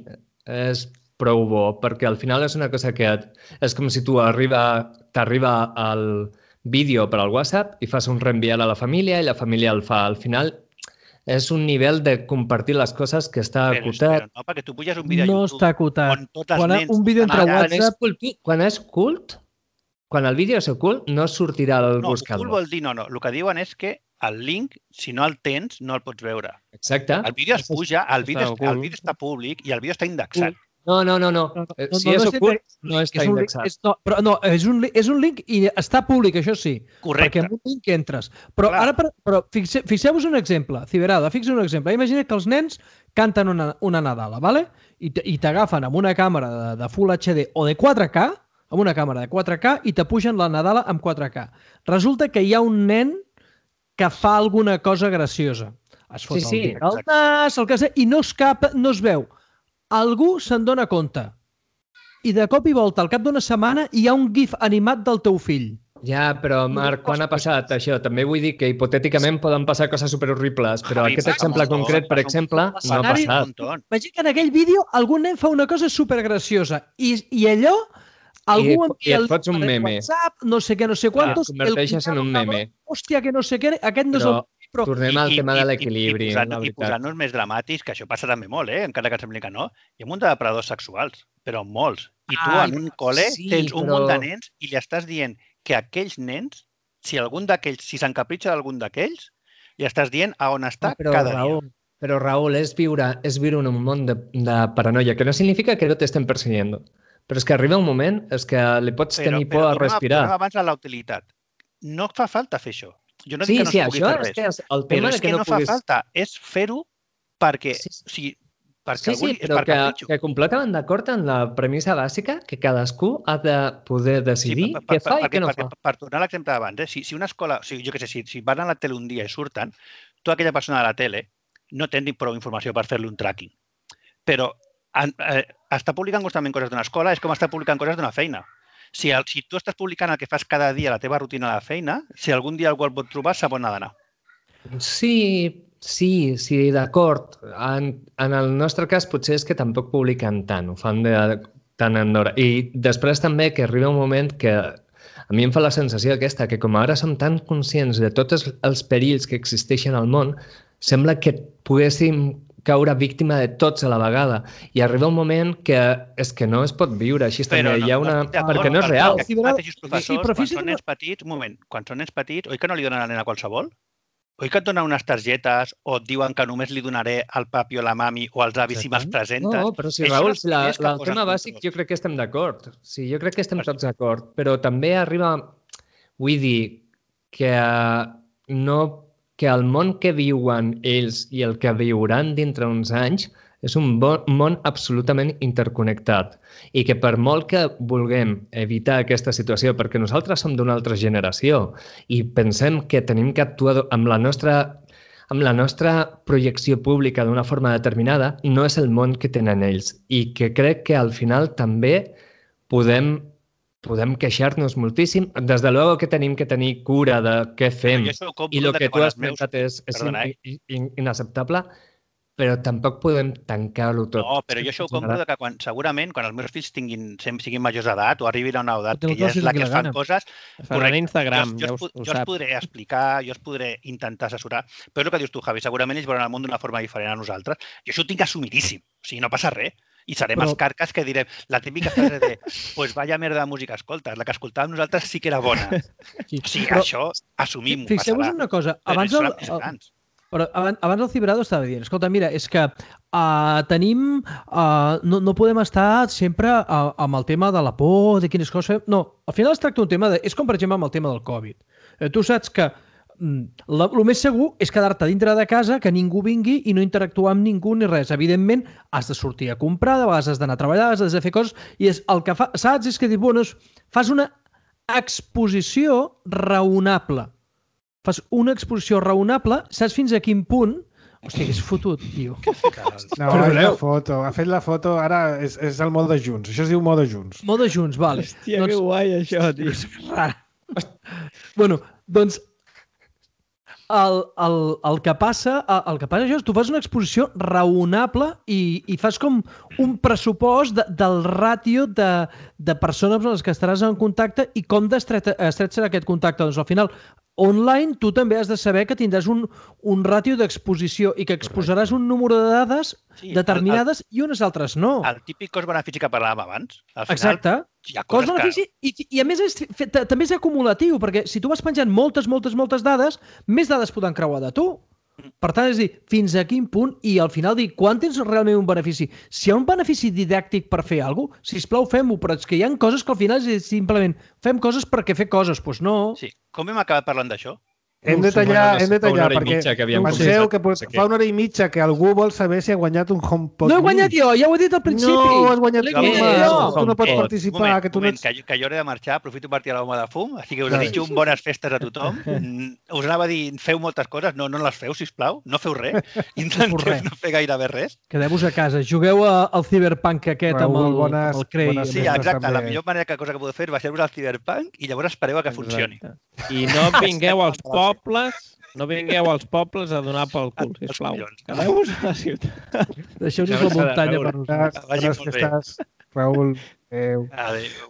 és prou bo, perquè al final és una cosa que és com si t'arriba el vídeo per al WhatsApp i fas un reenviar a la família i la família el fa. Al final és un nivell de compartir les coses que està acotat. Però no, perquè tu puges un vídeo a YouTube... No està acotat. Un vídeo entre WhatsApp... Quan és cult, quan el vídeo és ocult, no sortirà al buscador. No, ocult vol dir no. El que diuen és que el link, si no el tens, no el pots veure. Exacte. El vídeo es puja, el vídeo està públic i el vídeo està indexat. No. Si és ocult, no està indexat. Però no, és un link i està públic, això sí. Correcte. Perquè amb un link entres. Però ara, fixeu-vos un exemple, Ciberada, fixeu un exemple. Imagina que els nens canten una Nadala, ¿vale? I t'agafen amb una càmera de Full HD o de 4K, amb una càmera de 4K, i te pugen la Nadala amb 4K. Resulta que hi ha un nen que fa alguna cosa graciosa. Es fot el nas, el que sigui, i no es veu. Algú se'n dona compte. I de cop i volta, al cap d'una setmana, hi ha un gif animat del teu fill. Ja, però Marc, quan ha passat això? També vull dir que hipotèticament poden passar coses superhorribles, però aquest exemple concret, per exemple, no ha passat. Imagina que en aquell vídeo algun nen fa una cosa supergraciosa i allò algú envia el WhatsApp, no sé què, no sé quantos, el converteixes en un meme. Hòstia, que no sé què, aquest no és el... Però tornem al tema de l'equilibri. I posant-nos més dramàtics, que això passa també molt, encara que et sembli que no, hi ha un munt de depredadors sexuals, però molts. I tu en un col·le tens un munt de nens i li estàs dient que aquells nens, si s'encapritxa d'algun d'aquells, li estàs dient a on està cada dia. Però Raül, és viure en un món de paranoia, que no significa que no t'estem persiguent. Però és que arriba un moment que li pots tenir por a respirar. Però abans la utilitat. No fa falta fer això. Jo no dic que no es pugui fer res, però és que no fa falta. És fer-ho perquè... Sí, però que completament d'acord en la premissa bàsica que cadascú ha de poder decidir què fa i què no fa. Per tornar a l'exemple d'abans, si una escola, jo què sé, si van a la tele un dia i surten, tu aquella persona de la tele no tens prou informació per fer-li un tracking. Però estar publicant constantment coses d'una escola és com estar publicant coses d'una feina. Si tu estàs publicant el que fas cada dia, la teva rutina de feina, si algun dia algú el pot trobar, sap on ha d'anar. Sí, d'acord. En el nostre cas potser és que tampoc publiquen tant, ho fan de tant en d'hora. I després també que arriba un moment que a mi em fa la sensació aquesta, que com ara som tan conscients de tots els perills que existeixen al món, sembla que poguéssim caure víctima de tots a la vegada. I arriba un moment que és que no es pot viure així. Perquè no és real. Quan són nens petits, quan són nens petits, oi que no li donen a la nena qualsevol? Oi que et donen unes targetes o et diuen que només li donaré al papi o la mami o als avis si me'ls presentes? No, però si Raül, el tema bàsic jo crec que estem d'acord. Sí, jo crec que estem tots d'acord. Però també arriba, vull dir, que el món que viuen ells i el que viuran dintre uns anys és un món absolutament interconnectat i que per molt que vulguem evitar aquesta situació, perquè nosaltres som d'una altra generació i pensem que tenim que actuar amb la nostra projecció pública d'una forma determinada, no és el món que tenen ells i que crec que al final també podem queixar-nos moltíssim. Des de luego que tenim que tenir cura de què fem i el que tu has pensat és inacceptable, però tampoc podem tancar-ho tot. No, però jo això ho compro que segurament quan els meus fills siguin majors d'edat o arribin a una edat que ja és la que es fan coses... Faran Instagram, jo els podré explicar, jo els podré intentar assessorar, però és el que dius tu, Javi, segurament ells veuran el món d'una forma diferent a nosaltres. Jo això ho tinc assumidíssim, o sigui, no passa res. I serem els carques que direm la típica frase de pues vaya merda de música escoltes, la que escoltàvem nosaltres sí que era bona. O sigui, això assumim-ho. Fixeu-vos una cosa, abans el Ciberado estava dient, escolta, mira, és que tenim... No podem estar sempre amb el tema de la por, de quines coses fem... No, al final es tracta un tema de... És com, per exemple, amb el tema del Covid. Tu saps que el més segur és quedar-te dintre de casa, que ningú vingui i no interactuar amb ningú ni res. Evidentment, has de sortir a comprar, de vegades has d'anar a treballar, has de fer coses, i el que saps és que fas una exposició raonable. Fas una exposició raonable, saps fins a quin punt Hòstia, que és fotut, tio. No, ha fet la foto, ara és el mode Junts. Això es diu mode Junts. Mode Junts, vale. Hòstia, que guai això, tio. Bueno, doncs el que passa és que tu fas una exposició raonable i fas com un pressupost del ràtio de persones amb les que estaràs en contacte i com d'estret serà aquest contacte. Doncs al final, online tu també has de saber que tindràs un ràtio d'exposició i que exposaràs un número de dades determinades i unes altres no. El típic cost-benefici que parlàvem abans. Exacte. Cost-benefici i a més també és acumulatiu, perquè si tu vas penjant moltes dades, més dades poden creuar de tu. Per tant, és dir, fins a quin punt i al final dir, quan tens realment un benefici? Si hi ha un benefici didàctic per fer alguna cosa, sisplau, fem-ho, però és que hi ha coses que al final és simplement fem coses perquè fer coses, doncs no. Sí, com hem acabat parlant d'això? Hem de tallar, perquè penseu que fa una hora i mitja que algú vol saber si ha guanyat un HomePod. No he guanyat jo, ja ho he dit al principi. No, has guanyat tu, tu no pots participar. Que jo he de marxar, aprofito per tirar la bomba de fum, així que us desitjo bones festes a tothom. Us anava a dir, feu moltes coses, no les feu, sisplau, no feu res, intenteu no fer gairebé res. Quedeu-vos a casa, jugueu al Cyberpunk aquest amb el Cray. Sí, exacte, la millor cosa que podeu fer va ser-vos al Cyberpunk i llavors espereu a que funcioni. I no vingueu als pobles a donar pel cul, sisplau. Quedeu-vos a la ciutat. Deixeu-nos la muntanya per nosaltres. Bones festes, Raül. Adéu. Adéu.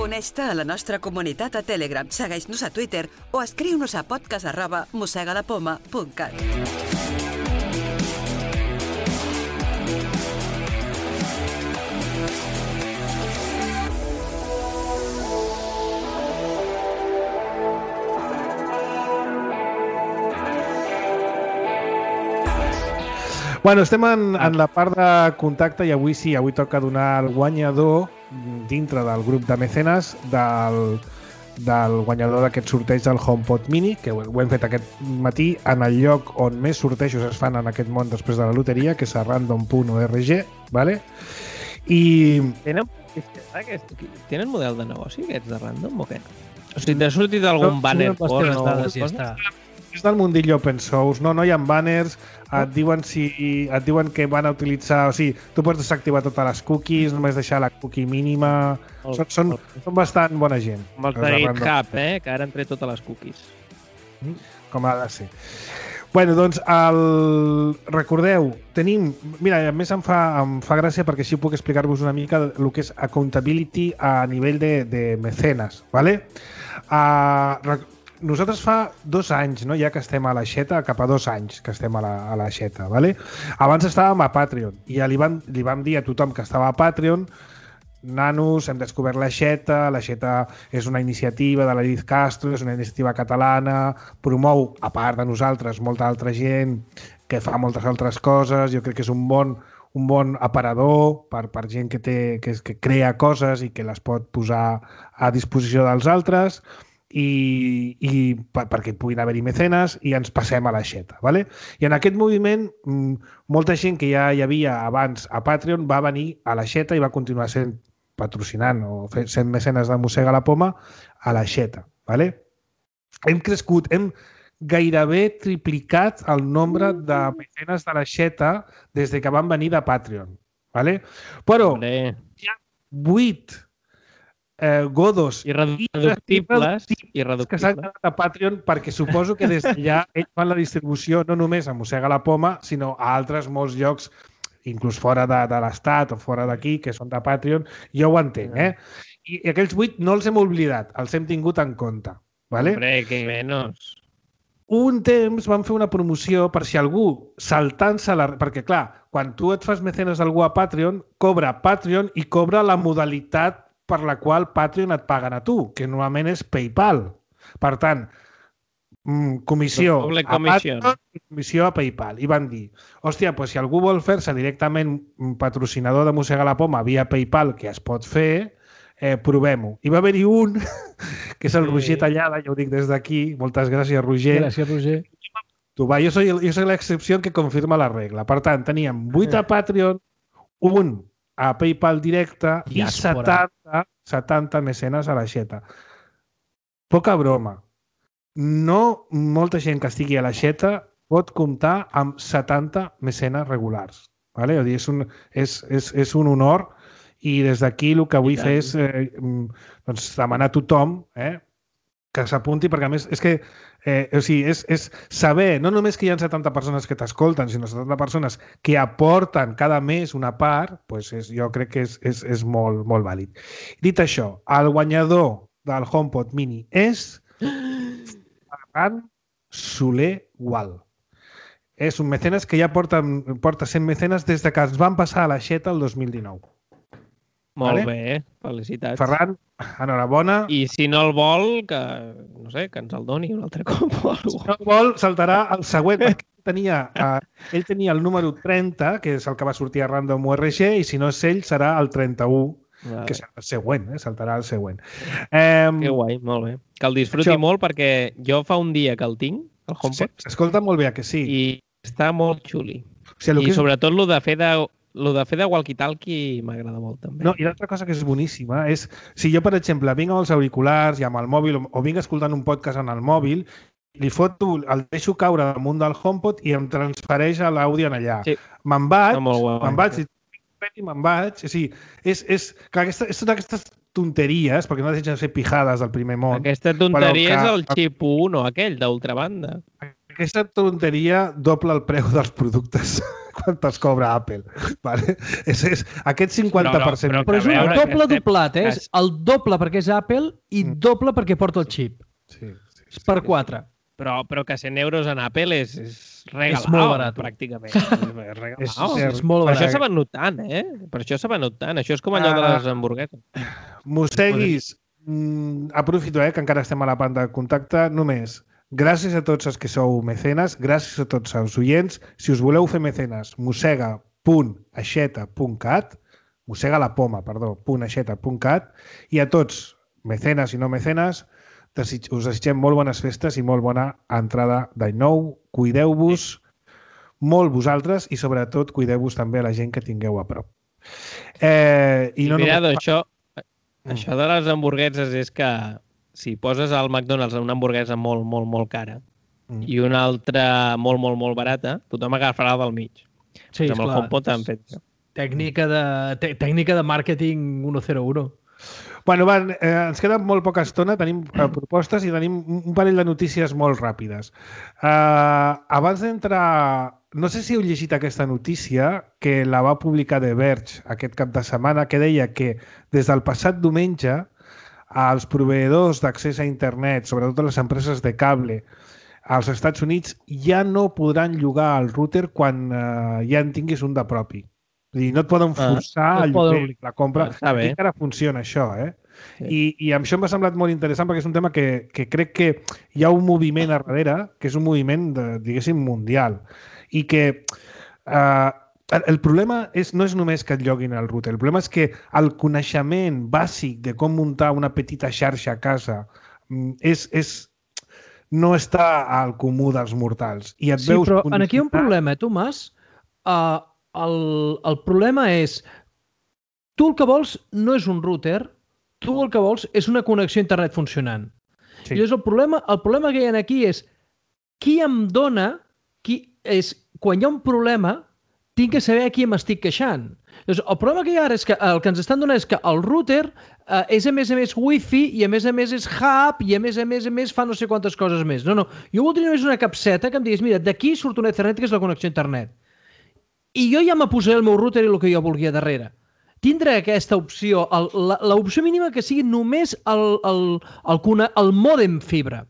Uneix-te a la nostra comunitat a Telegram, segueix-nos a Twitter o escriu-nos a podcast@mosegalapoma.cat. Bueno, estem en la part de contacte i avui toca donar el guanyador dintre del grup de mecenes del guanyador d'aquest sorteig del HomePod Mini, que ho hem fet aquest matí en el lloc on més sortejos es fan en aquest món després de la loteria, que és a random.org, ¿vale? I... Tenen model de negoci aquests de Random o què? O sigui, t'ha sortit algun banner porno o alguna cosa? És del mundillo open source, no hi ha banners, et diuen que van a utilitzar, o sigui, tu pots desactivar totes les cookies, només deixar la cookie mínima, són bastant bona gent. Com els de GitHub, que ara han tret totes les cookies. Com ha de ser. Bueno, doncs, recordeu, tenim... Mira, a més em fa gràcia perquè així puc explicar-vos una mica el que és accountability a nivell de mecenes, ¿vale? Nosaltres fa 2 anys, no, ja que estem a l'Aixeta, cap a 2 anys que estem a l'Aixeta, ¿vale? Abans estàvem a Patreon i ja li vam dir a tothom que estava a Patreon, nanos, hem descobert l'Aixeta és una iniciativa de la Liz Castro, és una iniciativa catalana, promou, a part de nosaltres, molta altra gent que fa moltes altres coses, jo crec que és un bon aparador per gent que crea coses i que les pot posar a disposició dels altres, i perquè puguin haver-hi mecenes i ens passem a l'Aixeta, ¿vale? I en aquest moviment molta gent que ja hi havia abans a Patreon va venir a l'Aixeta i va continuar sent patrocinant o sent mecenes de Mossega la Poma a l'Aixeta, ¿vale? Hem crescut, hem gairebé triplicat el nombre de mecenes de l'Aixeta des que van venir de Patreon, ¿vale? Però hi ha 8 godos irreductibles que s'han quedat a Patreon perquè suposo que des d'allà ells fan la distribució no només a Mossega la Poma sinó a altres molts llocs inclús fora de l'estat o fora d'aquí que són de Patreon, jo ho entenc, I aquells 8 no els hem oblidat, els hem tingut en compte, ¿vale? Hombre, que menos. Un temps vam fer una promoció per si algú saltant-se perquè clar, quan tu et fas mecenes d'algú a Patreon, cobra Patreon i cobra la modalitat per la qual Patreon et paguen a tu, que normalment és PayPal. Per tant, comissió a Patreon i comissió a PayPal. I van dir, hòstia, doncs si algú vol fer-se directament patrocinador de Mossega la Poma via PayPal, que es pot fer, provem-ho. I va haver-hi un, que és el Roger Tallada, ja ho dic des d'aquí, moltes gràcies, Roger. Gràcies, Roger. Jo soy l'excepció que confirma la regla. Per tant, teníem 8 a Patreon, un a PayPal directe i 70 mecenes a l'aixeta. Poca broma. No molta gent que estigui a l'aixeta pot comptar amb 70 mecenes regulars. Vale? És un honor i des d'aquí el que vull fer és demanar a tothom que s'apunti, perquè a més és que és saber, no només que hi ha 70 persones que t'escolten, sinó 70 persones que aporten cada mes una part, jo crec que és molt, molt vàlid. Dit això, el guanyador del HomePod Mini és Ferran Soler Gual. És un mecenes que ja porta 100 mecenes des que es van passar a l'aixeta el 2019. Molt bé, felicitats. Ferran, enhorabona. I si no el vol, que ens el doni un altre cop. Si no el vol, saltarà el següent. Ell tenia el número 30, que és el que va sortir a Random URG, i si no és ell, serà el 31, que serà el següent, saltarà el següent. Que guai, molt bé. Que el disfruti molt, perquè jo fa un dia que el tinc, el HomePod. S'escolta molt bé, que sí. I està molt xuli. I sobretot el de fer de walkie-talkie m'agrada molt, també. No, i l'altra cosa que és boníssima és, si jo, per exemple, vinc amb els auriculars i amb el mòbil, o vinc escoltant un podcast en el mòbil, li foto, el deixo caure damunt del HomePod i em transfereix l'àudio en allà. Sí. Me'n vaig, o sigui, és totes aquestes tonteries, perquè no deixen de ser pijades del primer món. Aquesta tonteria és el xip 1, aquell d'ultrabanda. Aquesta tonteria doble el preu dels productes quan te'ls cobra Apple. Vale? Aquest 50%... Però és un doble doblat, és el doble perquè és Apple i doble perquè porta el xip. Sí. És per 4. Però que 100 euros en Apple és regalat. És molt barat, pràcticament. És molt barat. Per això s'ha venut tant, Per això s'ha venut tant. Això és com allò de les hamburgueses. Mosseguis, aprofito, que encara estem a la banda de contacte, només. Gràcies a tots els que sou mecenes, gràcies a tots els oients. Si us voleu fer mecenes, mossega.aixeta.cat, i a tots, mecenes i no mecenes, us desitgem molt bones festes i molt bona entrada d'any nou. Cuideu-vos molt vosaltres i sobretot cuideu-vos també a la gent que tingueu a prop. Això de les hamburgueses és que si poses al McDonald's una hamburguesa molt, molt, molt cara i una altra molt, molt, molt barata, tothom agafarà del mig. Sí, amb el HomePod han fet això. Tècnica de màrqueting 101. Bueno, ens queda molt poca estona, tenim propostes i tenim un parell de notícies molt ràpides. Abans d'entrar... No sé si heu llegit aquesta notícia que la va publicar The Verge aquest cap de setmana, que deia que des del passat diumenge els proveïdors d'accés a internet, sobretot les empreses de cable, als Estats Units ja no podran llogar el router quan ja en tinguis un de propi. I no et poden forçar a llogar la compra. I encara funciona això, Sí. I això m'ha semblat molt interessant perquè és un tema que crec que hi ha un moviment a darrere, que és un moviment, diguéssim, mundial. I que el problema no és només que et lloguin el router, el problema és que el coneixement bàsic de com muntar una petita xarxa a casa no està al comú dels mortals. I et veus... però aquí hi ha un problema, Tomàs. El problema és tu el que vols no és un router, tu el que vols és una connexió a internet funcionant. Sí. I llavors el problema que hi ha aquí és qui em dona, quan hi ha un problema, tinc que saber a qui m'estic queixant. Llavors, el problema que hi ha ara és que el que ens estan donant és que el router és a més Wi-Fi i a més és hub i a més fa no sé quantes coses més. No. Jo voldria només una capseta que em digués, mira, d'aquí surt una Ethernet que és la connexió a internet. I jo ja me posaré el meu router i el que jo vulgui a darrere. Tindré aquesta opció, l'opció mínima que sigui només el mòdem fibra.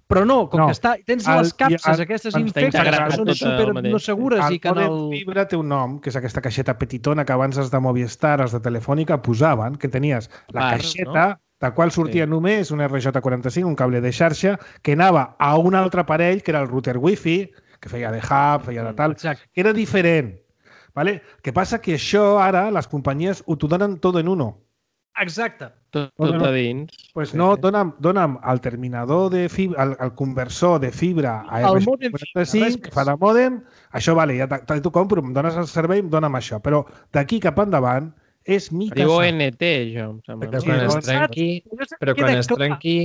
Però no, com que tens les capses aquestes infectes que són super no segures i que el fibra té un nom, que és aquesta caixeta petitona que abans els de Movistar, els de Telefònica posaven, que tenies la caixeta de qual sortia només un RJ45, un cable de xarxa, que anava a un altre aparell, que era el router Wi-Fi, que feia de hub, feia de tal, que era diferent. ¿Vale? El que passa que això ara les companyies ho donen tot en uno. Exacte. Tot a dins. Pues no, dona'm el terminador de fibra, el conversor de fibra a R545 que fa de mòdem, això vale, ja t'ho compro, em dones el servei, em dona'm això. Però d'aquí cap endavant és mica... Diu ONT, això, em sembla. Però quan es trenqui,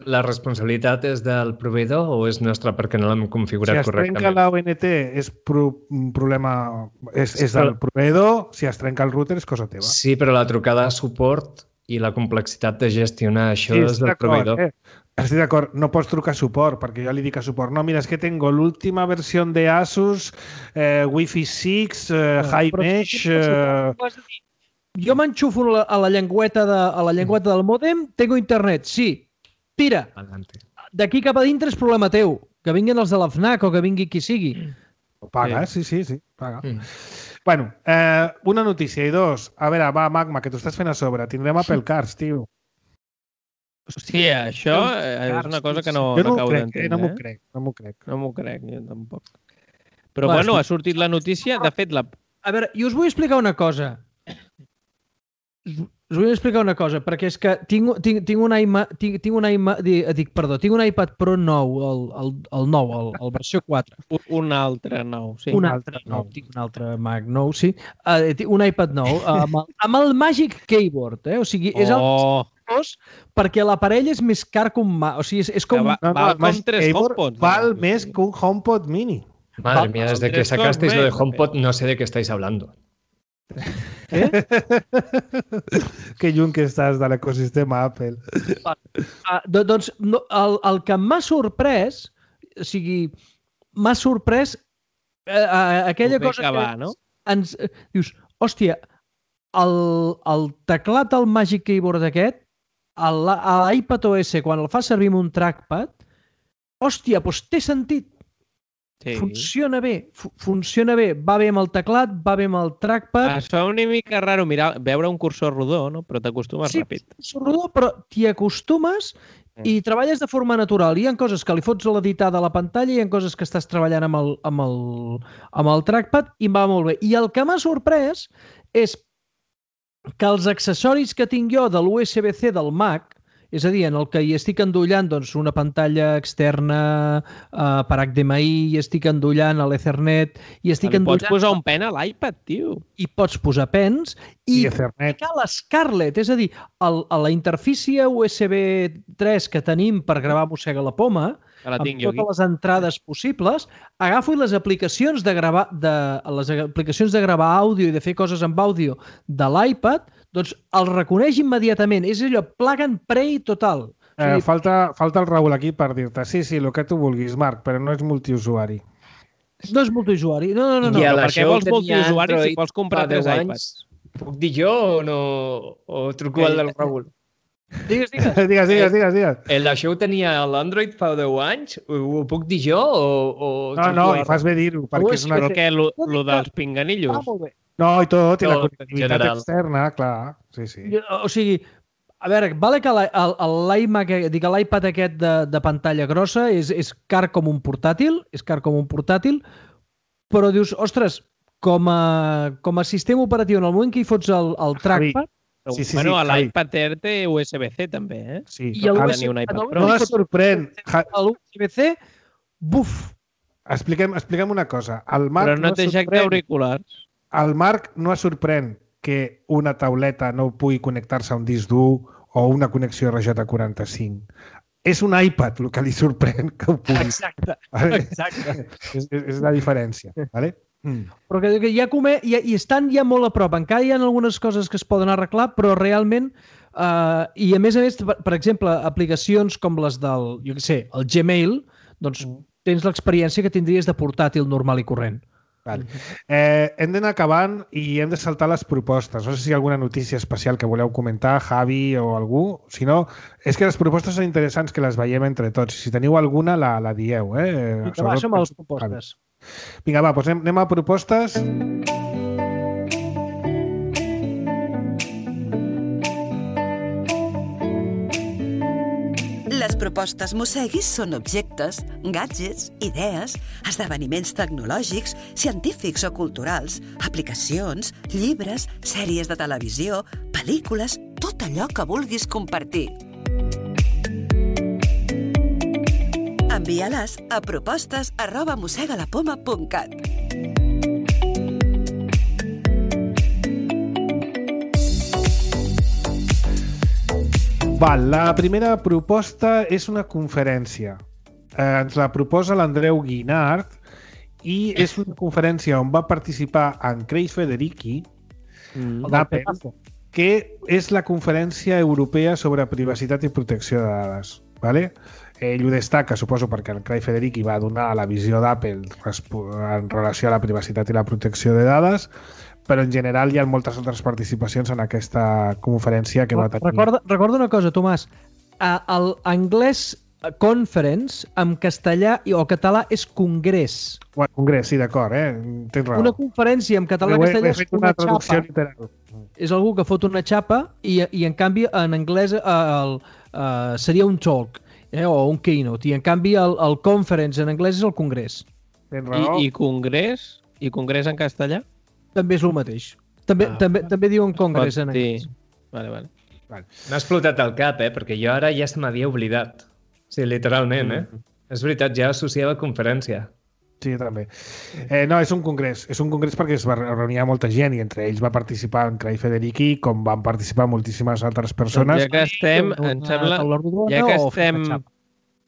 la responsabilitat és del proveïdor o és nostra perquè no l'hem configurat correctament? Si es trenca la ONT és un problema... És del proveïdor, si es trenca el router és cosa teva. Sí, però la trucada a suport i la complexitat de gestionar això és del proveïdor. Estic d'acord, no pots trucar a suport, perquè jo li dic a suport, no, mira, és que tengo l'última versió de Asus, Wi-Fi 6, High Mesh... Jo m'enxufo a la llengüeta del mòdem, tengo internet, sí. Tira, d'aquí cap a dintre és problema teu. Que vinguin els de la FNAC o que vingui qui sigui. Paga, sí, paga. Bueno, una notícia i dos. A veure, va, Magma, que t'ho estàs fent a sobre. Tindrem Apple Cars, tio. Hòstia, això és una cosa que no acabo d'entendre. No m'ho crec. No m'ho crec, jo tampoc. Però bueno, ha sortit la notícia. De fet, A veure, i us vull explicar una cosa. Perquè és que tinc un iPad Pro nou, el nou, el versió 4. Un altre nou, sí. Tinc un altre Mac nou, sí. Un iPad nou, amb el Magic Keyboard, o sigui, és el perquè l'aparell és més car que un Mac. O sigui, és com... Val com 3 HomePods. Val més que un HomePod mini. Madre mía, desde que sacasteis lo de HomePod no sé de qué estáis hablando. Que lluny que estàs de l'ecosistema Apple. Doncs el que m'ha sorprès, o sigui, m'ha sorprès aquella cosa que ens dius, hòstia, el teclat del Magic Keyboard aquest, a l'iPadOS, quan el fa servir amb un trackpad, hòstia, doncs té sentit. Sí. Funciona bé, va bé amb el teclat, va bé amb el trackpad. Es fa una mica raro veure un cursor rodó, no? Però t'acostumes ràpid. Sí, cursor rodó, però t'hi acostumes i treballes de forma natural. Hi ha coses que li fots a l'editar de la pantalla i hi ha coses que estàs treballant amb el trackpad i va molt bé. I el que m'ha sorprès és que els accessoris que tinc jo de l'USB-C del Mac, és a dir, en el que hi estic endollant una pantalla externa per HDMI, hi estic endollant a l'Ethernet, i estic endollant... Pots posar un pen a l'iPad, tio. I pots posar pens i ficar l'Scarlett, és a dir, a la interfície USB 3 que tenim per gravar Mossega la Poma, amb totes les entrades possibles, agafo les aplicacions de gravar àudio i de fer coses amb àudio de l'iPad, doncs el reconeix immediatament. És allò, plug and play total. Falta el Raül aquí per dir-te sí, el que tu vulguis, Marc, però no és multiusuari. No és multiusuari. No. Però per què vols multiusuari si vols comprar 3 iPads? Puc dir jo o no? O truco al del Raül? Digues. Això ho tenia l'Android fa 10 anys? Ho puc dir jo o... No, i fas bé dir-ho. Però què, lo dels pinganillos? Molt bé. No, i tot, i la connectivitat externa, clar. Sí. O sigui, a veure, vale que l'iPad aquest de pantalla grossa és car com un portàtil, però dius, ostres, com a sistema operatiu, en el moment que hi fots el trackpad... Bueno, l'iPad Air té USB-C també, eh? Sí, i el USB-C no es sorprèn. L'USB-C, buf! Expliquem una cosa. Però no té jack d'auriculars. El Marc no es sorprèn que una tauleta no pugui connectar-se a un disc dur o una connexió RJ45. És un iPad el que li sorprèn que ho pugui. Exacte. És la diferència. Vale? Però que ja estan ja molt a prop. Encara hi ha algunes coses que es poden arreglar, però realment, i a més, per exemple, aplicacions com les del, jo què sé, el Gmail, doncs tens l'experiència que tindries de portàtil normal i corrent. Vale. Hem d'anar acabant i hem de saltar les propostes. No sé si hi ha alguna notícia especial que voleu comentar, Javi o algú. Si no, és que les propostes són interessants que les veiem entre tots. Si teniu alguna, la dieu. Vinga, som a les propostes. Vinga, doncs anem a propostes. Les propostes Mosseguis són objectes, gadgets, idees, esdeveniments tecnològics, científics o culturals, aplicacions, llibres, sèries de televisió, pel·lícules tot allò que vulguis compartir. Envia-les a propostes@mossegalapoma.cat. La primera proposta és una conferència. Ens la proposa l'Andreu Guinart i és una conferència on va participar en Craig Federighi d'Apple, que és la Conferència Europea sobre Privacitat i Protecció de Dades. Vale? Ell ho destaca, suposo, perquè el Craig Federighi va donar la visió d'Apple en relació a la privacitat i la protecció de dades, però en general hi ha moltes altres participacions en aquesta conferència que va tenir. Recorda una cosa, Tomàs. L'anglès conference en castellà o català és congrés. Congrés, sí, d'acord, tens raó. Una conferència en català i castellà és una xapa. Literal. És algú que fot una xapa i en canvi en anglès seria un talk o un keynote, i en canvi el conference en anglès és el congrés. Tens raó. I congrés? I congrés en castellà? També és el mateix. També diuen congrés en anglès. Vale. M'ha explotat el cap, perquè jo ara ja se m'havia oblidat. Sí, literalment, És veritat, ja associava conferència. Sí, també. No, és un congrés. És un congrés perquè es va reunir molta gent i entre ells va participar en Craig Federighi, com van participar moltíssimes altres persones. Ja que estem, em sembla,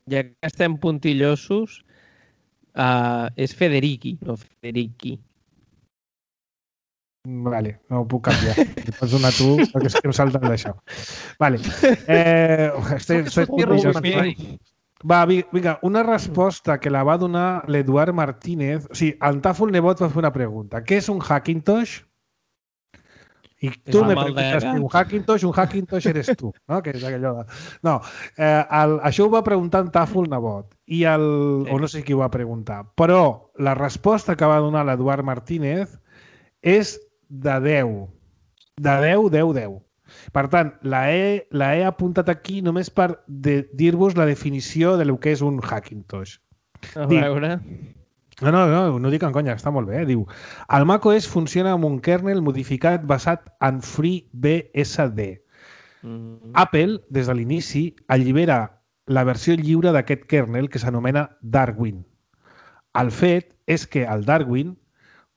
ja que estem puntillosos, és Federighi, no Federighi. Vale, no ho puc canviar. Li pots donar tu, perquè és que em salten d'això. Vale. Va, vinga, una resposta que la va donar l'Eduard Martínez. O sigui, el Tàfol Nebot va fer una pregunta. Què és un Hackintosh? I tu me preguntes un Hackintosh eres tu, no? Que és allò de... No, això ho va preguntar en Tàfol Nebot. O no sé qui ho va preguntar. Però la resposta que va donar l'Eduard Martínez és de 10. De 10. Per tant, la he apuntat aquí només per dir-vos la definició del que és un Hackintosh. A veure... No dic en conya, està molt bé. Diu, el macOS funciona amb un kernel modificat basat en FreeBSD. Apple, des de l'inici, allibera la versió lliure d'aquest kernel que s'anomena Darwin. El fet és que el Darwin,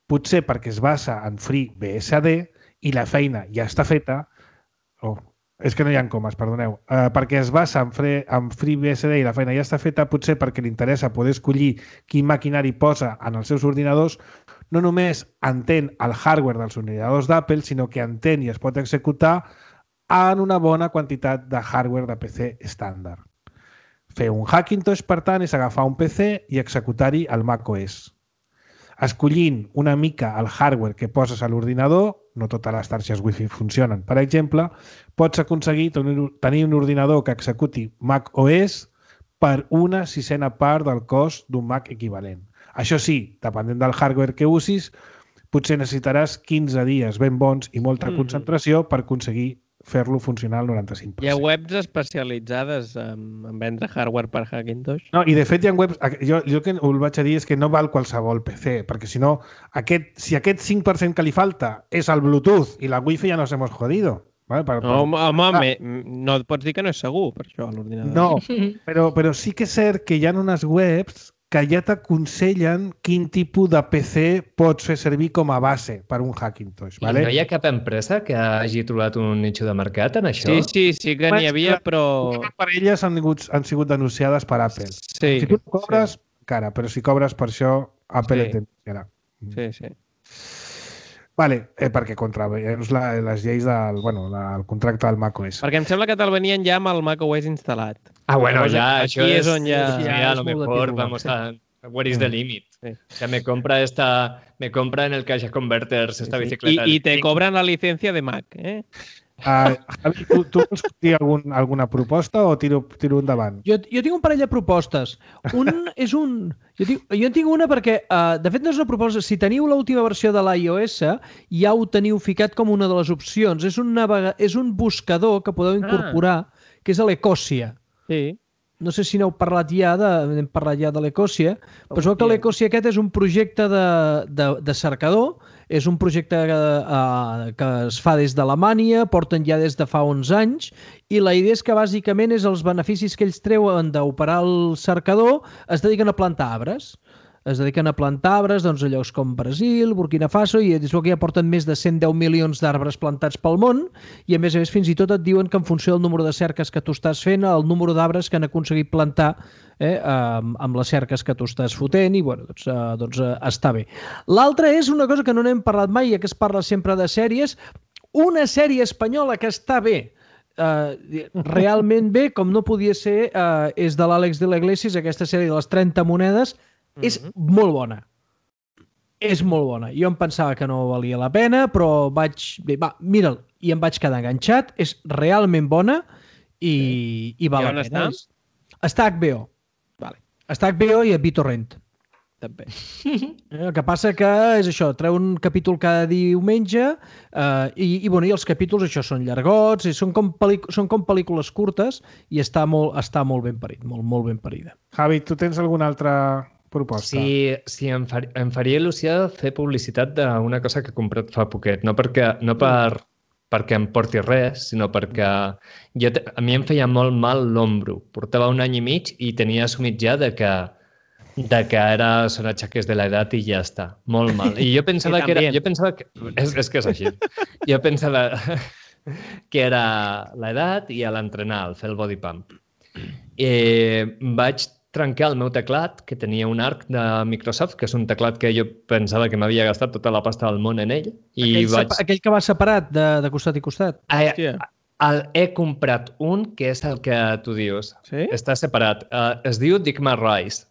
potser perquè es basa en FreeBSD i la feina ja està feta, és que no hi ha comes, perdoneu, perquè es basa en FreeBSD i la feina ja està feta, potser perquè li interessa poder escollir quin maquinari posa en els seus ordinadors, no només entén el hardware dels ordinadors d'Apple, sinó que entén i es pot executar en una bona quantitat de hardware de PC estàndard. Fer un Hackintosh, per tant, és agafar un PC i executar-hi el macOS. Escollint una mica el hardware que poses a l'ordinador, no totes les xarxes Wi-Fi funcionen, per exemple, pots aconseguir tenir un ordinador que executi macOS per una sisena part del cost d'un Mac equivalent. Això sí, depenent del hardware que usis, potser necessitaràs 15 dies ben bons i molta concentració per aconseguir fer-lo funcionar al 95%. Hi ha webs especialitzades en vendre hardware per Hackintosh? No, i de fet hi ha webs... Jo el que ho vaig a dir és que no val qualsevol PC, perquè si no, si aquest 5% que li falta és el Bluetooth i la Wi-Fi ja nos hemos jodido. Vale? No et pots dir que no és segur, per això, l'ordinador. No, però sí que és cert que hi ha unes webs que ja t'aconsellen quin tipus de PC pots fer servir com a base per un Hackintosh. Vale? I no hi ha cap empresa que hagi trobat un nicho de mercat en això? Sí que n'hi havia, però... Per elles han sigut denunciades per Apple. Sí, si tu cobres, encara, però si cobres per això, Apple et denunciarà. Sí. Vale, perquè contraveus les lleis del contracte del macOS. Perquè em sembla que te'l venien ja amb el macOS instal·lat. Bueno, ya, aquí és on ja... a lo mejor vamos a... Where is the limit? Sí. O sea, me compra en el Cash Converters esta bicicleta. Y te cobran la licencia de Mac, Javi, tu vols dir alguna proposta o tiro endavant? Jo tinc un parell de propostes. Jo en tinc una perquè, de fet, no és una proposta. Si teniu l'última versió de l'iOS, ja ho teniu ficat com una de les opcions. És un buscador que podeu incorporar, que és l'Ecosia. Sí. no sé si n'heu parlat ja, hem parlat ja de l'Ecosia, però es veu que l'Ecosia aquest és un projecte de cercador, és un projecte que es fa des d'Alemanya, porten ja des de fa 11 anys, i la idea és que bàsicament és els beneficis que ells treuen d'operar el cercador es dediquen a plantar arbres. Es dediquen a plantar arbres a llocs com Brasil, Burkina Faso, i és que ja porten més de 110 milions d'arbres plantats pel món, i a més fins i tot et diuen que en funció del número de cerques que tu estàs fent, el número d'arbres que han aconseguit plantar amb les cerques que tu estàs fotent, i bueno, doncs està bé. L'altra és una cosa que no n'hem parlat mai, ja que es parla sempre de sèries, una sèrie espanyola que està bé, realment bé, com no podia ser, és de l'Àlex de la Iglesias, aquesta sèrie de les 30 monedes. És molt bona. És molt bona. Jo em pensava que no valia la pena, però mira'l, i em vaig quedar enganxat. És realment bona i val la pena. Està a HBO. Està a HBO i a BitTorrent. També. El que passa que és això, treu un capítol cada diumenge i els capítols això són llargots, són com pel·lícules curtes i està molt ben parit, molt ben parida. Javi, tu tens alguna altra proposta? Sí, em faria il·lusió fer publicitat d'una cosa que he comprat fa poquet, no perquè em porti res, sinó perquè a mi em feia molt mal l'ombro. Portava 1 any i mig i tenia assumit ja de que son achaques de l'edat i ja està. Molt mal. I jo pensava que era... És que és així. Jo pensava que era l'edat i a l'entrenar, al fer el body pump. Vaig trencar el meu teclat, que tenia un arc de Microsoft, que és un teclat que jo pensava que m'havia gastat tota la pasta del món en ell. Aquell que va separat de costat i costat? He comprat un, que és el que tu dius. Sí? Està separat. Es diu Digma Rise.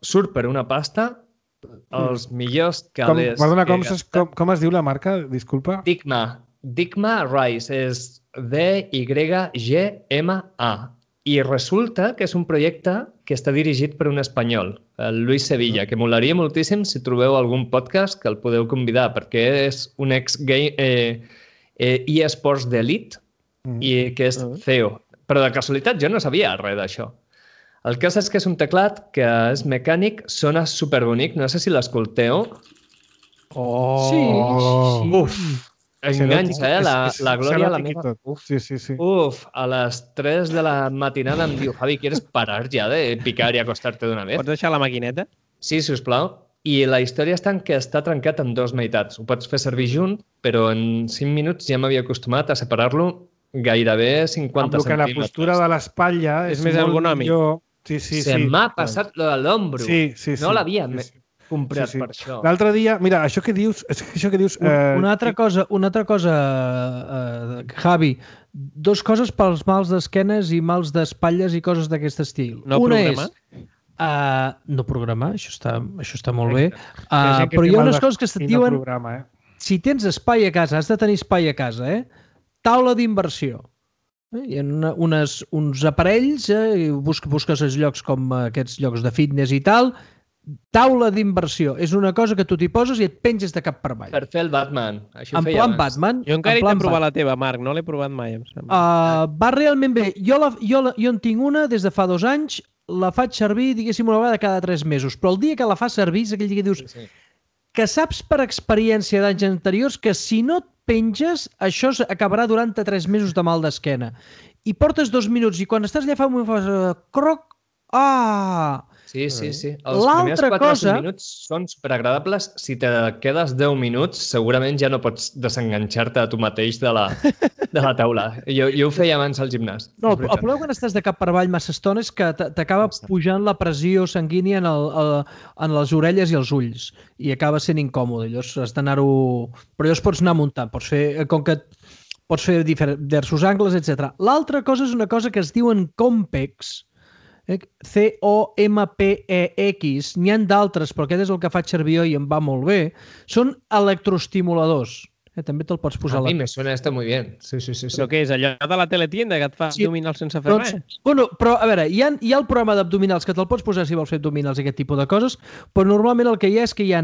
Surt per una pasta, els millors calés... Perdona, com es diu la marca? Disculpa. Digma Rise és D-Y-G-M-A. I resulta que és un projecte que està dirigit per un espanyol, el Luis Sevilla, que molaria moltíssim si trobeu algun podcast que el podeu convidar, perquè és un eSports d'Elite i que és CEO. Però de casualitat jo no sabia res d'això. El cas és que és un teclat que és mecànic, sona superbonic, no sé si l'escolteu. Sí. Uf! Enganxa, la Glòria, la meva... Uf, a les 3 de la matinada em diu, Javi, ¿quieres parar ja de picar i acostar-te d'una vez? Pots deixar la maquineta? Sí, sisplau. I la història està en que està trencat en 2 meitats. Ho pots fer servir junt, però en 5 minuts ja m'havia acostumat a separar-lo gairebé 50 centímetres. La postura de l'espatlla és més ergonòmic. Se m'ha passat lo de l'ombro. No l'havia comprat per això. L'altre dia, mira, això que dius... Una altra cosa, Javi, 2 coses pels mals d'esquenes i mals d'espatlles i coses d'aquest estil. No programar? No programar, això està molt bé. Però hi ha unes coses que se't diuen... Si tens espai a casa, has de tenir espai a casa, taula d'inversió. Hi ha uns aparells, busques els llocs com aquests llocs de fitness i tal... Taula d'inversió. És una cosa que tu t'hi poses i et penges de cap per avall. Per fer el Batman. En plan Batman. Jo encara he de provar la teva, Marc. No l'he provat mai. Va realment bé. Jo en tinc una des de fa 2 anys. La faig servir, diguéssim, una vegada cada 3 mesos. Però el dia que la fas servir és aquell dia que dius que saps per experiència d'anys anteriors que si no et penges, això acabarà durant 3 mesos de mal d'esquena. I portes 2 minuts i quan estàs allà fa un moment fas croc. Sí. Els primers 4 minuts són superagradables. Si te quedes 10 minuts, segurament ja no pots desenganxar-te a tu mateix de la taula. Jo ho feia abans al gimnàs. No, el problema quan estàs de cap per avall massa estona és que t'acaba pujant la pressió sanguínia en les orelles i els ulls i acaba sent incòmode. Llavors has d'anar-ho... Però llavors pots anar muntant. Pots fer diversos angles, etc. L'altra cosa és una cosa que es diuen Compex, C-O-M-P-E-X, n'hi ha d'altres, però aquest és el que faig servir jo i em va molt bé, són electroestimuladors. També te'l pots posar... A mi me suena esto muy bien. Sí. Però què és, allò de la teletienda que et fa abdominals sense fer res? Bueno, però a veure, hi ha el programa d'abdominals que te'l pots posar si vols fer abdominals i aquest tipus de coses, però normalment el que hi ha és que hi ha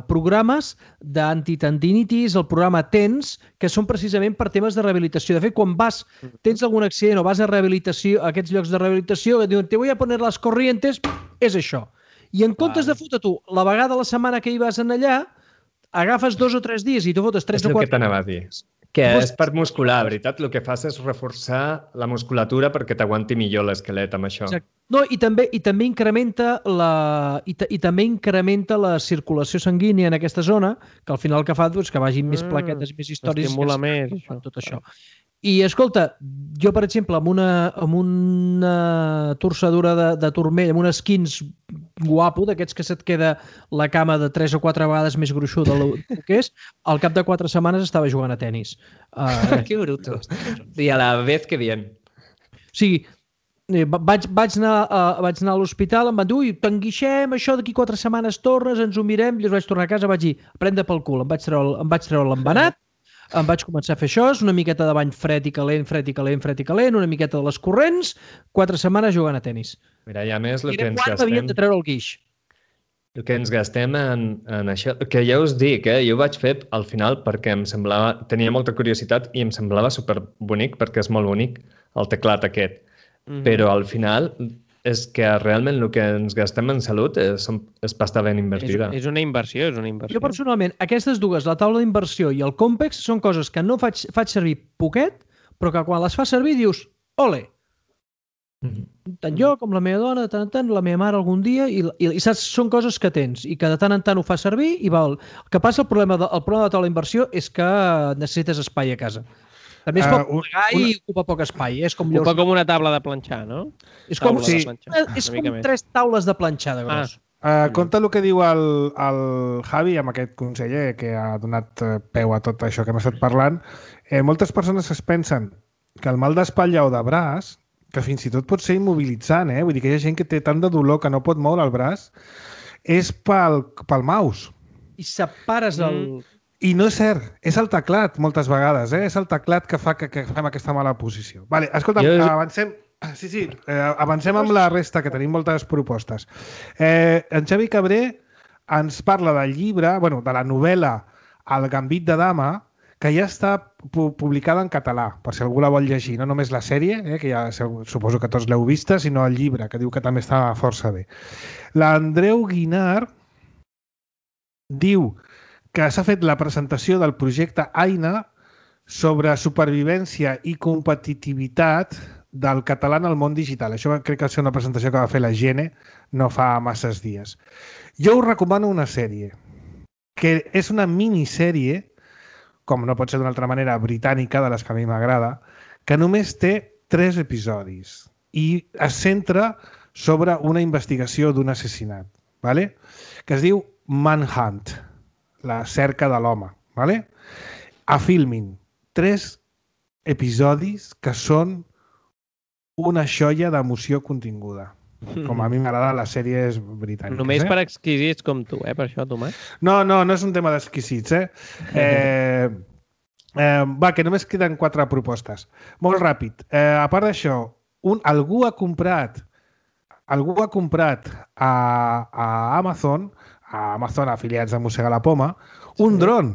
programes d'antitendinitis, el programa TENS, que són precisament per temes de rehabilitació. De fet, quan tens algun accident o vas a rehabilitació, a aquests llocs de rehabilitació, que diuen, te voy a poner las corrientes, és això. I en comptes de fotre tu la vegada a la setmana que hi vas allà, agafes 2 o 3 dies i tu fotes 3 o 4... És el que t'anava a dir. Que és per muscular, veritat? El que fas és reforçar la musculatura perquè t'aguanti millor l'esquelet amb això. Exacte. No, i també incrementa la circulació sanguínia en aquesta zona, que al final el que fa és que vagin més plaquetes, més històries... Estimula més, tot això. I, escolta, jo, per exemple, amb una torçadura de turmell, amb un skins guapo, d'aquests que se't queda la cama de 3 o 4 vegades més gruixuda del que és, al cap de 4 setmanes estava jugant a tenis. Que bruto. I a la vez que bien. O sigui, vaig anar a l'hospital, em van dir, ui, t'enguixem, això d'aquí 4 setmanes tornes, ens ho mirem, i vaig tornar a casa, vaig dir, prendre pel cul, em vaig treure l'embenat, em vaig començar a fer això, una miqueta de bany fred i calent, una miqueta de les corrents, 4 setmanes jugant a tenis. Mira, i a més el que ens gastem... Havíem de treure el guix. El que ens gastem en això, que ja us dic, jo ho vaig fer al final perquè em semblava, tenia molta curiositat i em semblava superbonic perquè és molt bonic el teclat aquest. Però al final és que realment el que ens gastem en salut és pasta ben invertida. És una inversió, Jo personalment, aquestes dues, la taula d'inversió i el Compex, són coses que no faig servir poquet, però que quan les fas servir dius, ole! Tant jo com la meva dona, de tant en tant, la meva mare algun dia, i saps, són coses que tens i que de tant en tant ho fas servir i val. El que passa, el problema de la taula d'inversió és que necessites espai a casa. També es pot plegar i ocupa poc espai. Ocupa com una taula de planxar, no? És com 3 taules de planxar de gros. Compte el que diu el Javi amb aquest conseller que ha donat peu a tot això que hem estat parlant. Moltes persones es pensen que el mal d'espatlla o de braç, que fins i tot pot ser immobilitzant, vull dir que hi ha gent que té tant de dolor que no pot moure el braç, és pel mouse. I separes el... I no és cert, és el teclat moltes vegades, és el teclat que fa que fem aquesta mala posició. Vale, escolta, avancem... Avancem amb la resta, que tenim moltes propostes. En Xavi Cabré ens parla del llibre, de la novel·la El gambit de dama, que ja està publicada en català, per si algú la vol llegir, no només la sèrie, que ja suposo que tots l'heu vista, sinó el llibre, que diu que també està força bé. L'Andreu Guinar diu que s'ha fet la presentació del projecte Aina sobre supervivència i competitivitat del català en el món digital. Això crec que va ser una presentació que va fer la Gene no fa masses dies. Jo us recomano una sèrie, que és una minissèrie, com no pot ser d'una altra manera, britànica, de les que a mi m'agrada, que només té 3 episodis i es centra sobre una investigació d'un assassinat, que es diu Manhunt, la cerca de l'home. A Filmin, 3 episodis que són una xoia d'emoció continguda. Com a mi m'agrada, la sèrie és britànica. Només per exquisits com tu, per això, Tomàs? No és un tema d'exquisits, Va, que només queden 4 propostes. Molt ràpid. A part d'això, algú ha comprat a Amazon afiliats a Mossegar la Poma, un dron.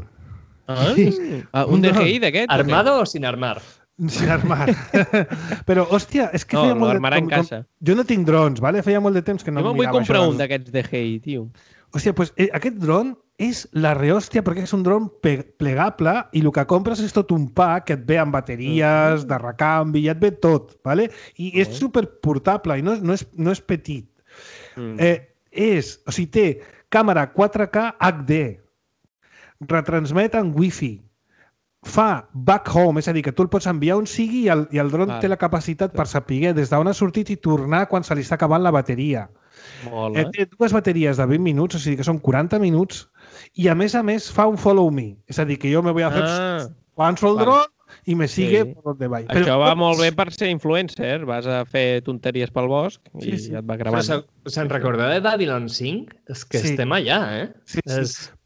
Un DJI d'aquest? Armado o sin armar? Sin armar. Però, hòstia, és que feia molt de temps... Jo no tinc drons, feia molt de temps que no mirava això. Jo me'n vull comprar un d'aquests DJI, tio. Hòstia, doncs aquest dron és la rehòstia perquè és un dron plegable i el que compres és tot un pack que et ve amb bateries, de recanvi, i et ve tot, i és superportable i no és petit. O sigui, té càmera 4K HD, retransmet en Wi-Fi, fa back home, és a dir, que tu el pots enviar on sigui i el dron té la capacitat per saber des d'on ha sortit i tornar quan se li està acabant la bateria. Té 2 bateries de 20 minuts, o sigui que són 40 minuts, i a més fa un follow me, és a dir, que jo me voy a fer... Avanço el dron, i me sigue per donde vaya. Això va molt bé per ser influencer. Vas a fer tonteries pel bosc i et va gravant. Se'n recorda de Babylon 5? És que estem allà, Sí.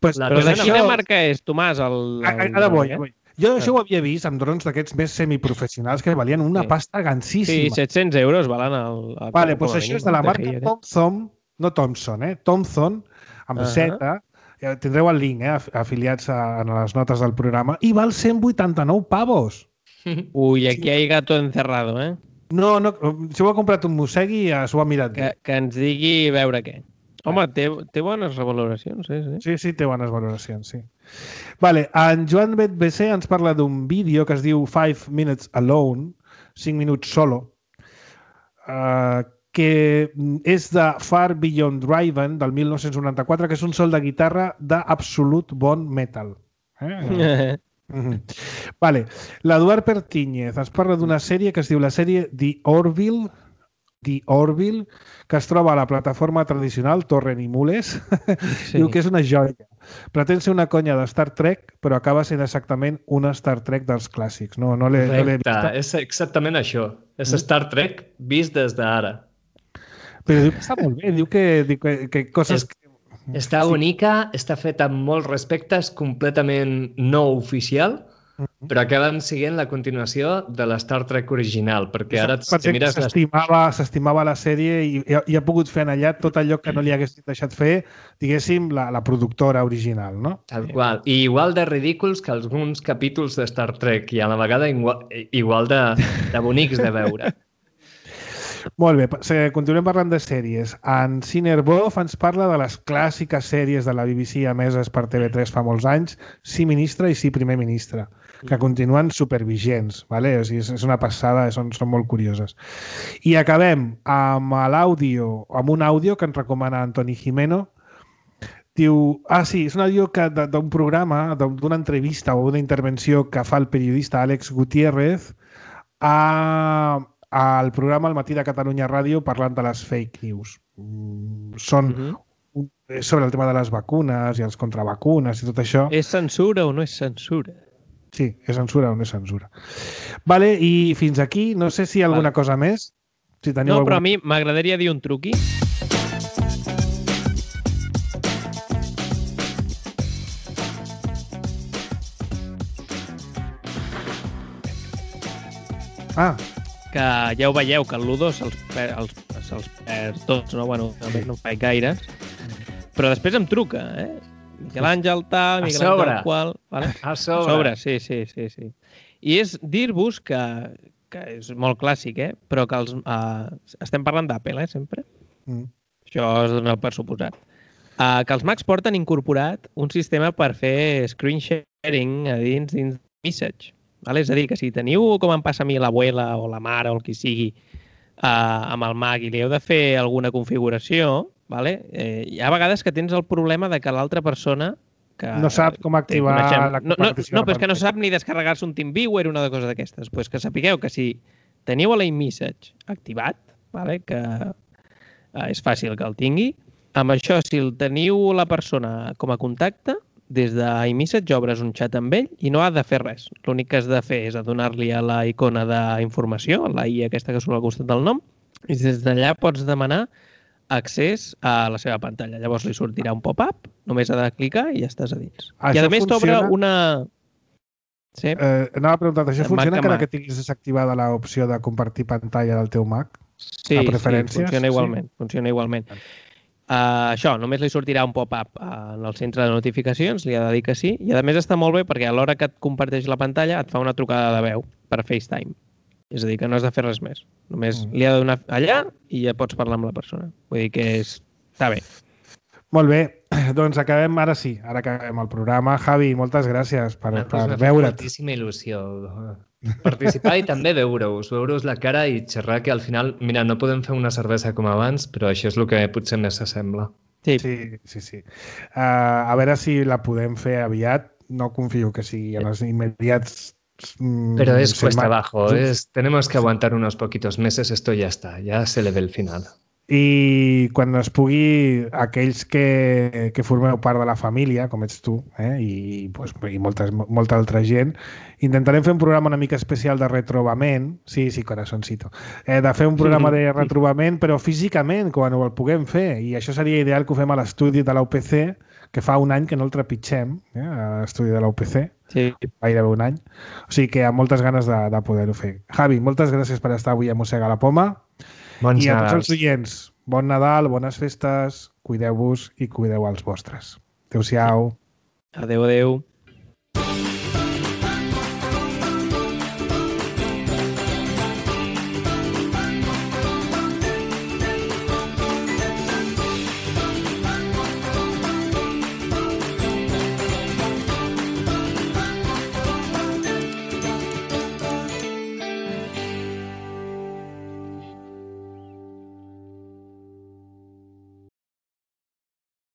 Però de quina marca és, Tomàs? Ara vull. Jo això ho havia vist amb drons d'aquests més semiprofessionals que valien una pasta gansíssima. Sí, 700 euros valen Vale, doncs això és de la marca Thomson, no Thompson, Thomson, amb Z. Tindreu el link, afiliats en les notes del programa, i val 189 pavos. Ui, aquí hay gato encerrado, No, si ho ha comprat un mossegui, s'ho ha mirat bé. Que ens digui veure què. Home, té bones valoracions, Sí, té bones valoracions, sí. Vale, en Joan BC ens parla d'un vídeo que es diu 5 Minutes Alone, 5 minuts solo, que és de Far Beyond Driven, del 1994, que és un sol de guitarra d'absolut bon metal. Vale. L'Eduard Pertíñez ens parla d'una sèrie que es diu la sèrie The Orville, que es troba a la plataforma tradicional Torrent i Mules. Diu que és una joia. Pretén ser una conya de Star Trek, però acaba sent exactament una Star Trek dels clàssics. No l'he vist. És exactament això. És Star Trek vist des d'ara. Però diu que està molt bé, diu que coses... Està bonica, està feta amb molt respecte, és completament no oficial, però acaben siguent la continuació de la Star Trek original, perquè ara si mires... S'estimava la sèrie i ha pogut fer en allà tot allò que no li haguessin deixat fer, diguéssim, la productora original, no? Tal qual. I igual de ridículs que alguns capítols de Star Trek i a la vegada igual de bonics de veure. Molt bé, continuem parlant de sèries. En Cinerbov ens parla de les clàssiques sèries de la BBC emeses per TV3 fa molts anys, Sí ministre i Sí primer ministre, que continuen supervigents, ¿vale? O sigui, és una passada, són molt curioses. I acabem amb un àudio que ens recomana Antoni Jimeno. Diu, és un àudio d'un programa, d'una entrevista o una intervenció que fa el periodista Àlex Gutiérrez al programa Al matí de Catalunya Ràdio parlant de les fake news. Són sobre el tema de les vacunes i els contravacunes i tot això. És censura o no és censura? Sí, és censura o no és censura. Vale, i fins aquí, no sé si hi ha alguna cosa més. Si teniu però a mi m'agradaria dir un truqui. Que ja ho veieu, que el Ludo se'ls perd tots, no? Bueno, també no faig gaires. Però després em truca, Miquel Àngel tal, Miquel Àngel qual... Vale? A sobre. Sí. I és dir-vos que és molt clàssic, però que estem parlant d'Apple, sempre. Això es dona per suposat. Que els Macs porten incorporat un sistema per fer screen sharing a dins Message. És a dir, que si teniu, com em passa a mi, l'abuela o la mare o el qui sigui, amb el Mac i li heu de fer alguna configuració, hi ha vegades que tens el problema de que l'altra persona... no sap com activar la compartició. No, però és que no sap ni descarregar-se un TeamViewer o una cosa d'aquestes. Pues que sapigueu que si teniu l'iMessage activat, que és fàcil que el tingui, amb això, si el teniu la persona com a contacte, des d'iMessage obres un xat amb ell i no ha de fer res. L'únic que has de fer és donar-li a la icona d'informació, la I aquesta que surt al costat del nom, i des d'allà pots demanar accés a la seva pantalla. Llavors li sortirà un pop-up, només ha de clicar i ja estàs a dins. I a més t'obre una... Sí. Anava a preguntar, això funciona encara que tinguis desactivada l'opció de compartir pantalla del teu Mac? Sí, funciona igualment. Funciona igualment. Això, només li sortirà un pop-up en el centre de notificacions, li ha de dir que sí, i a més està molt bé perquè a l'hora que et comparteix la pantalla et fa una trucada de veu per FaceTime. És a dir, que no has de fer res més. Només li ha de donar allà i ja pots parlar amb la persona. Vull dir que està bé. Molt bé, doncs acabem, ara sí, ara acabem el programa. Javi, moltes gràcies per veure't. Moltíssima il·lusió participar i també veure-us la cara i xerrar, que al final, mira, no podem fer una cervesa com abans, però això és el que potser més s'assembla. Sí. A veure si la podem fer aviat. No confio que sigui en els immediats... Pero es cuesta abajo, tenemos que aguantar unos poquitos meses, esto ya está, ya se le ve el final. I quan es pugui, aquells que formeu part de la família, com ets tu, i molta altra gent, intentarem fer un programa una mica especial de retrobament, sí, corazoncito, de fer un programa de retrobament, però físicament, quan el puguem fer, i això seria ideal que ho fem a l'estudi de la UPC, que fa un any que no el trepitgem, a l'estudi de la UPC, gairebé un any, o sigui que amb moltes ganes de poder-ho fer. Javi, moltes gràcies per estar avui a Mossega la Poma. I a tots els oients, bon Nadal, bones festes, cuideu-vos i cuideu els vostres. Adéu-siau. Adéu.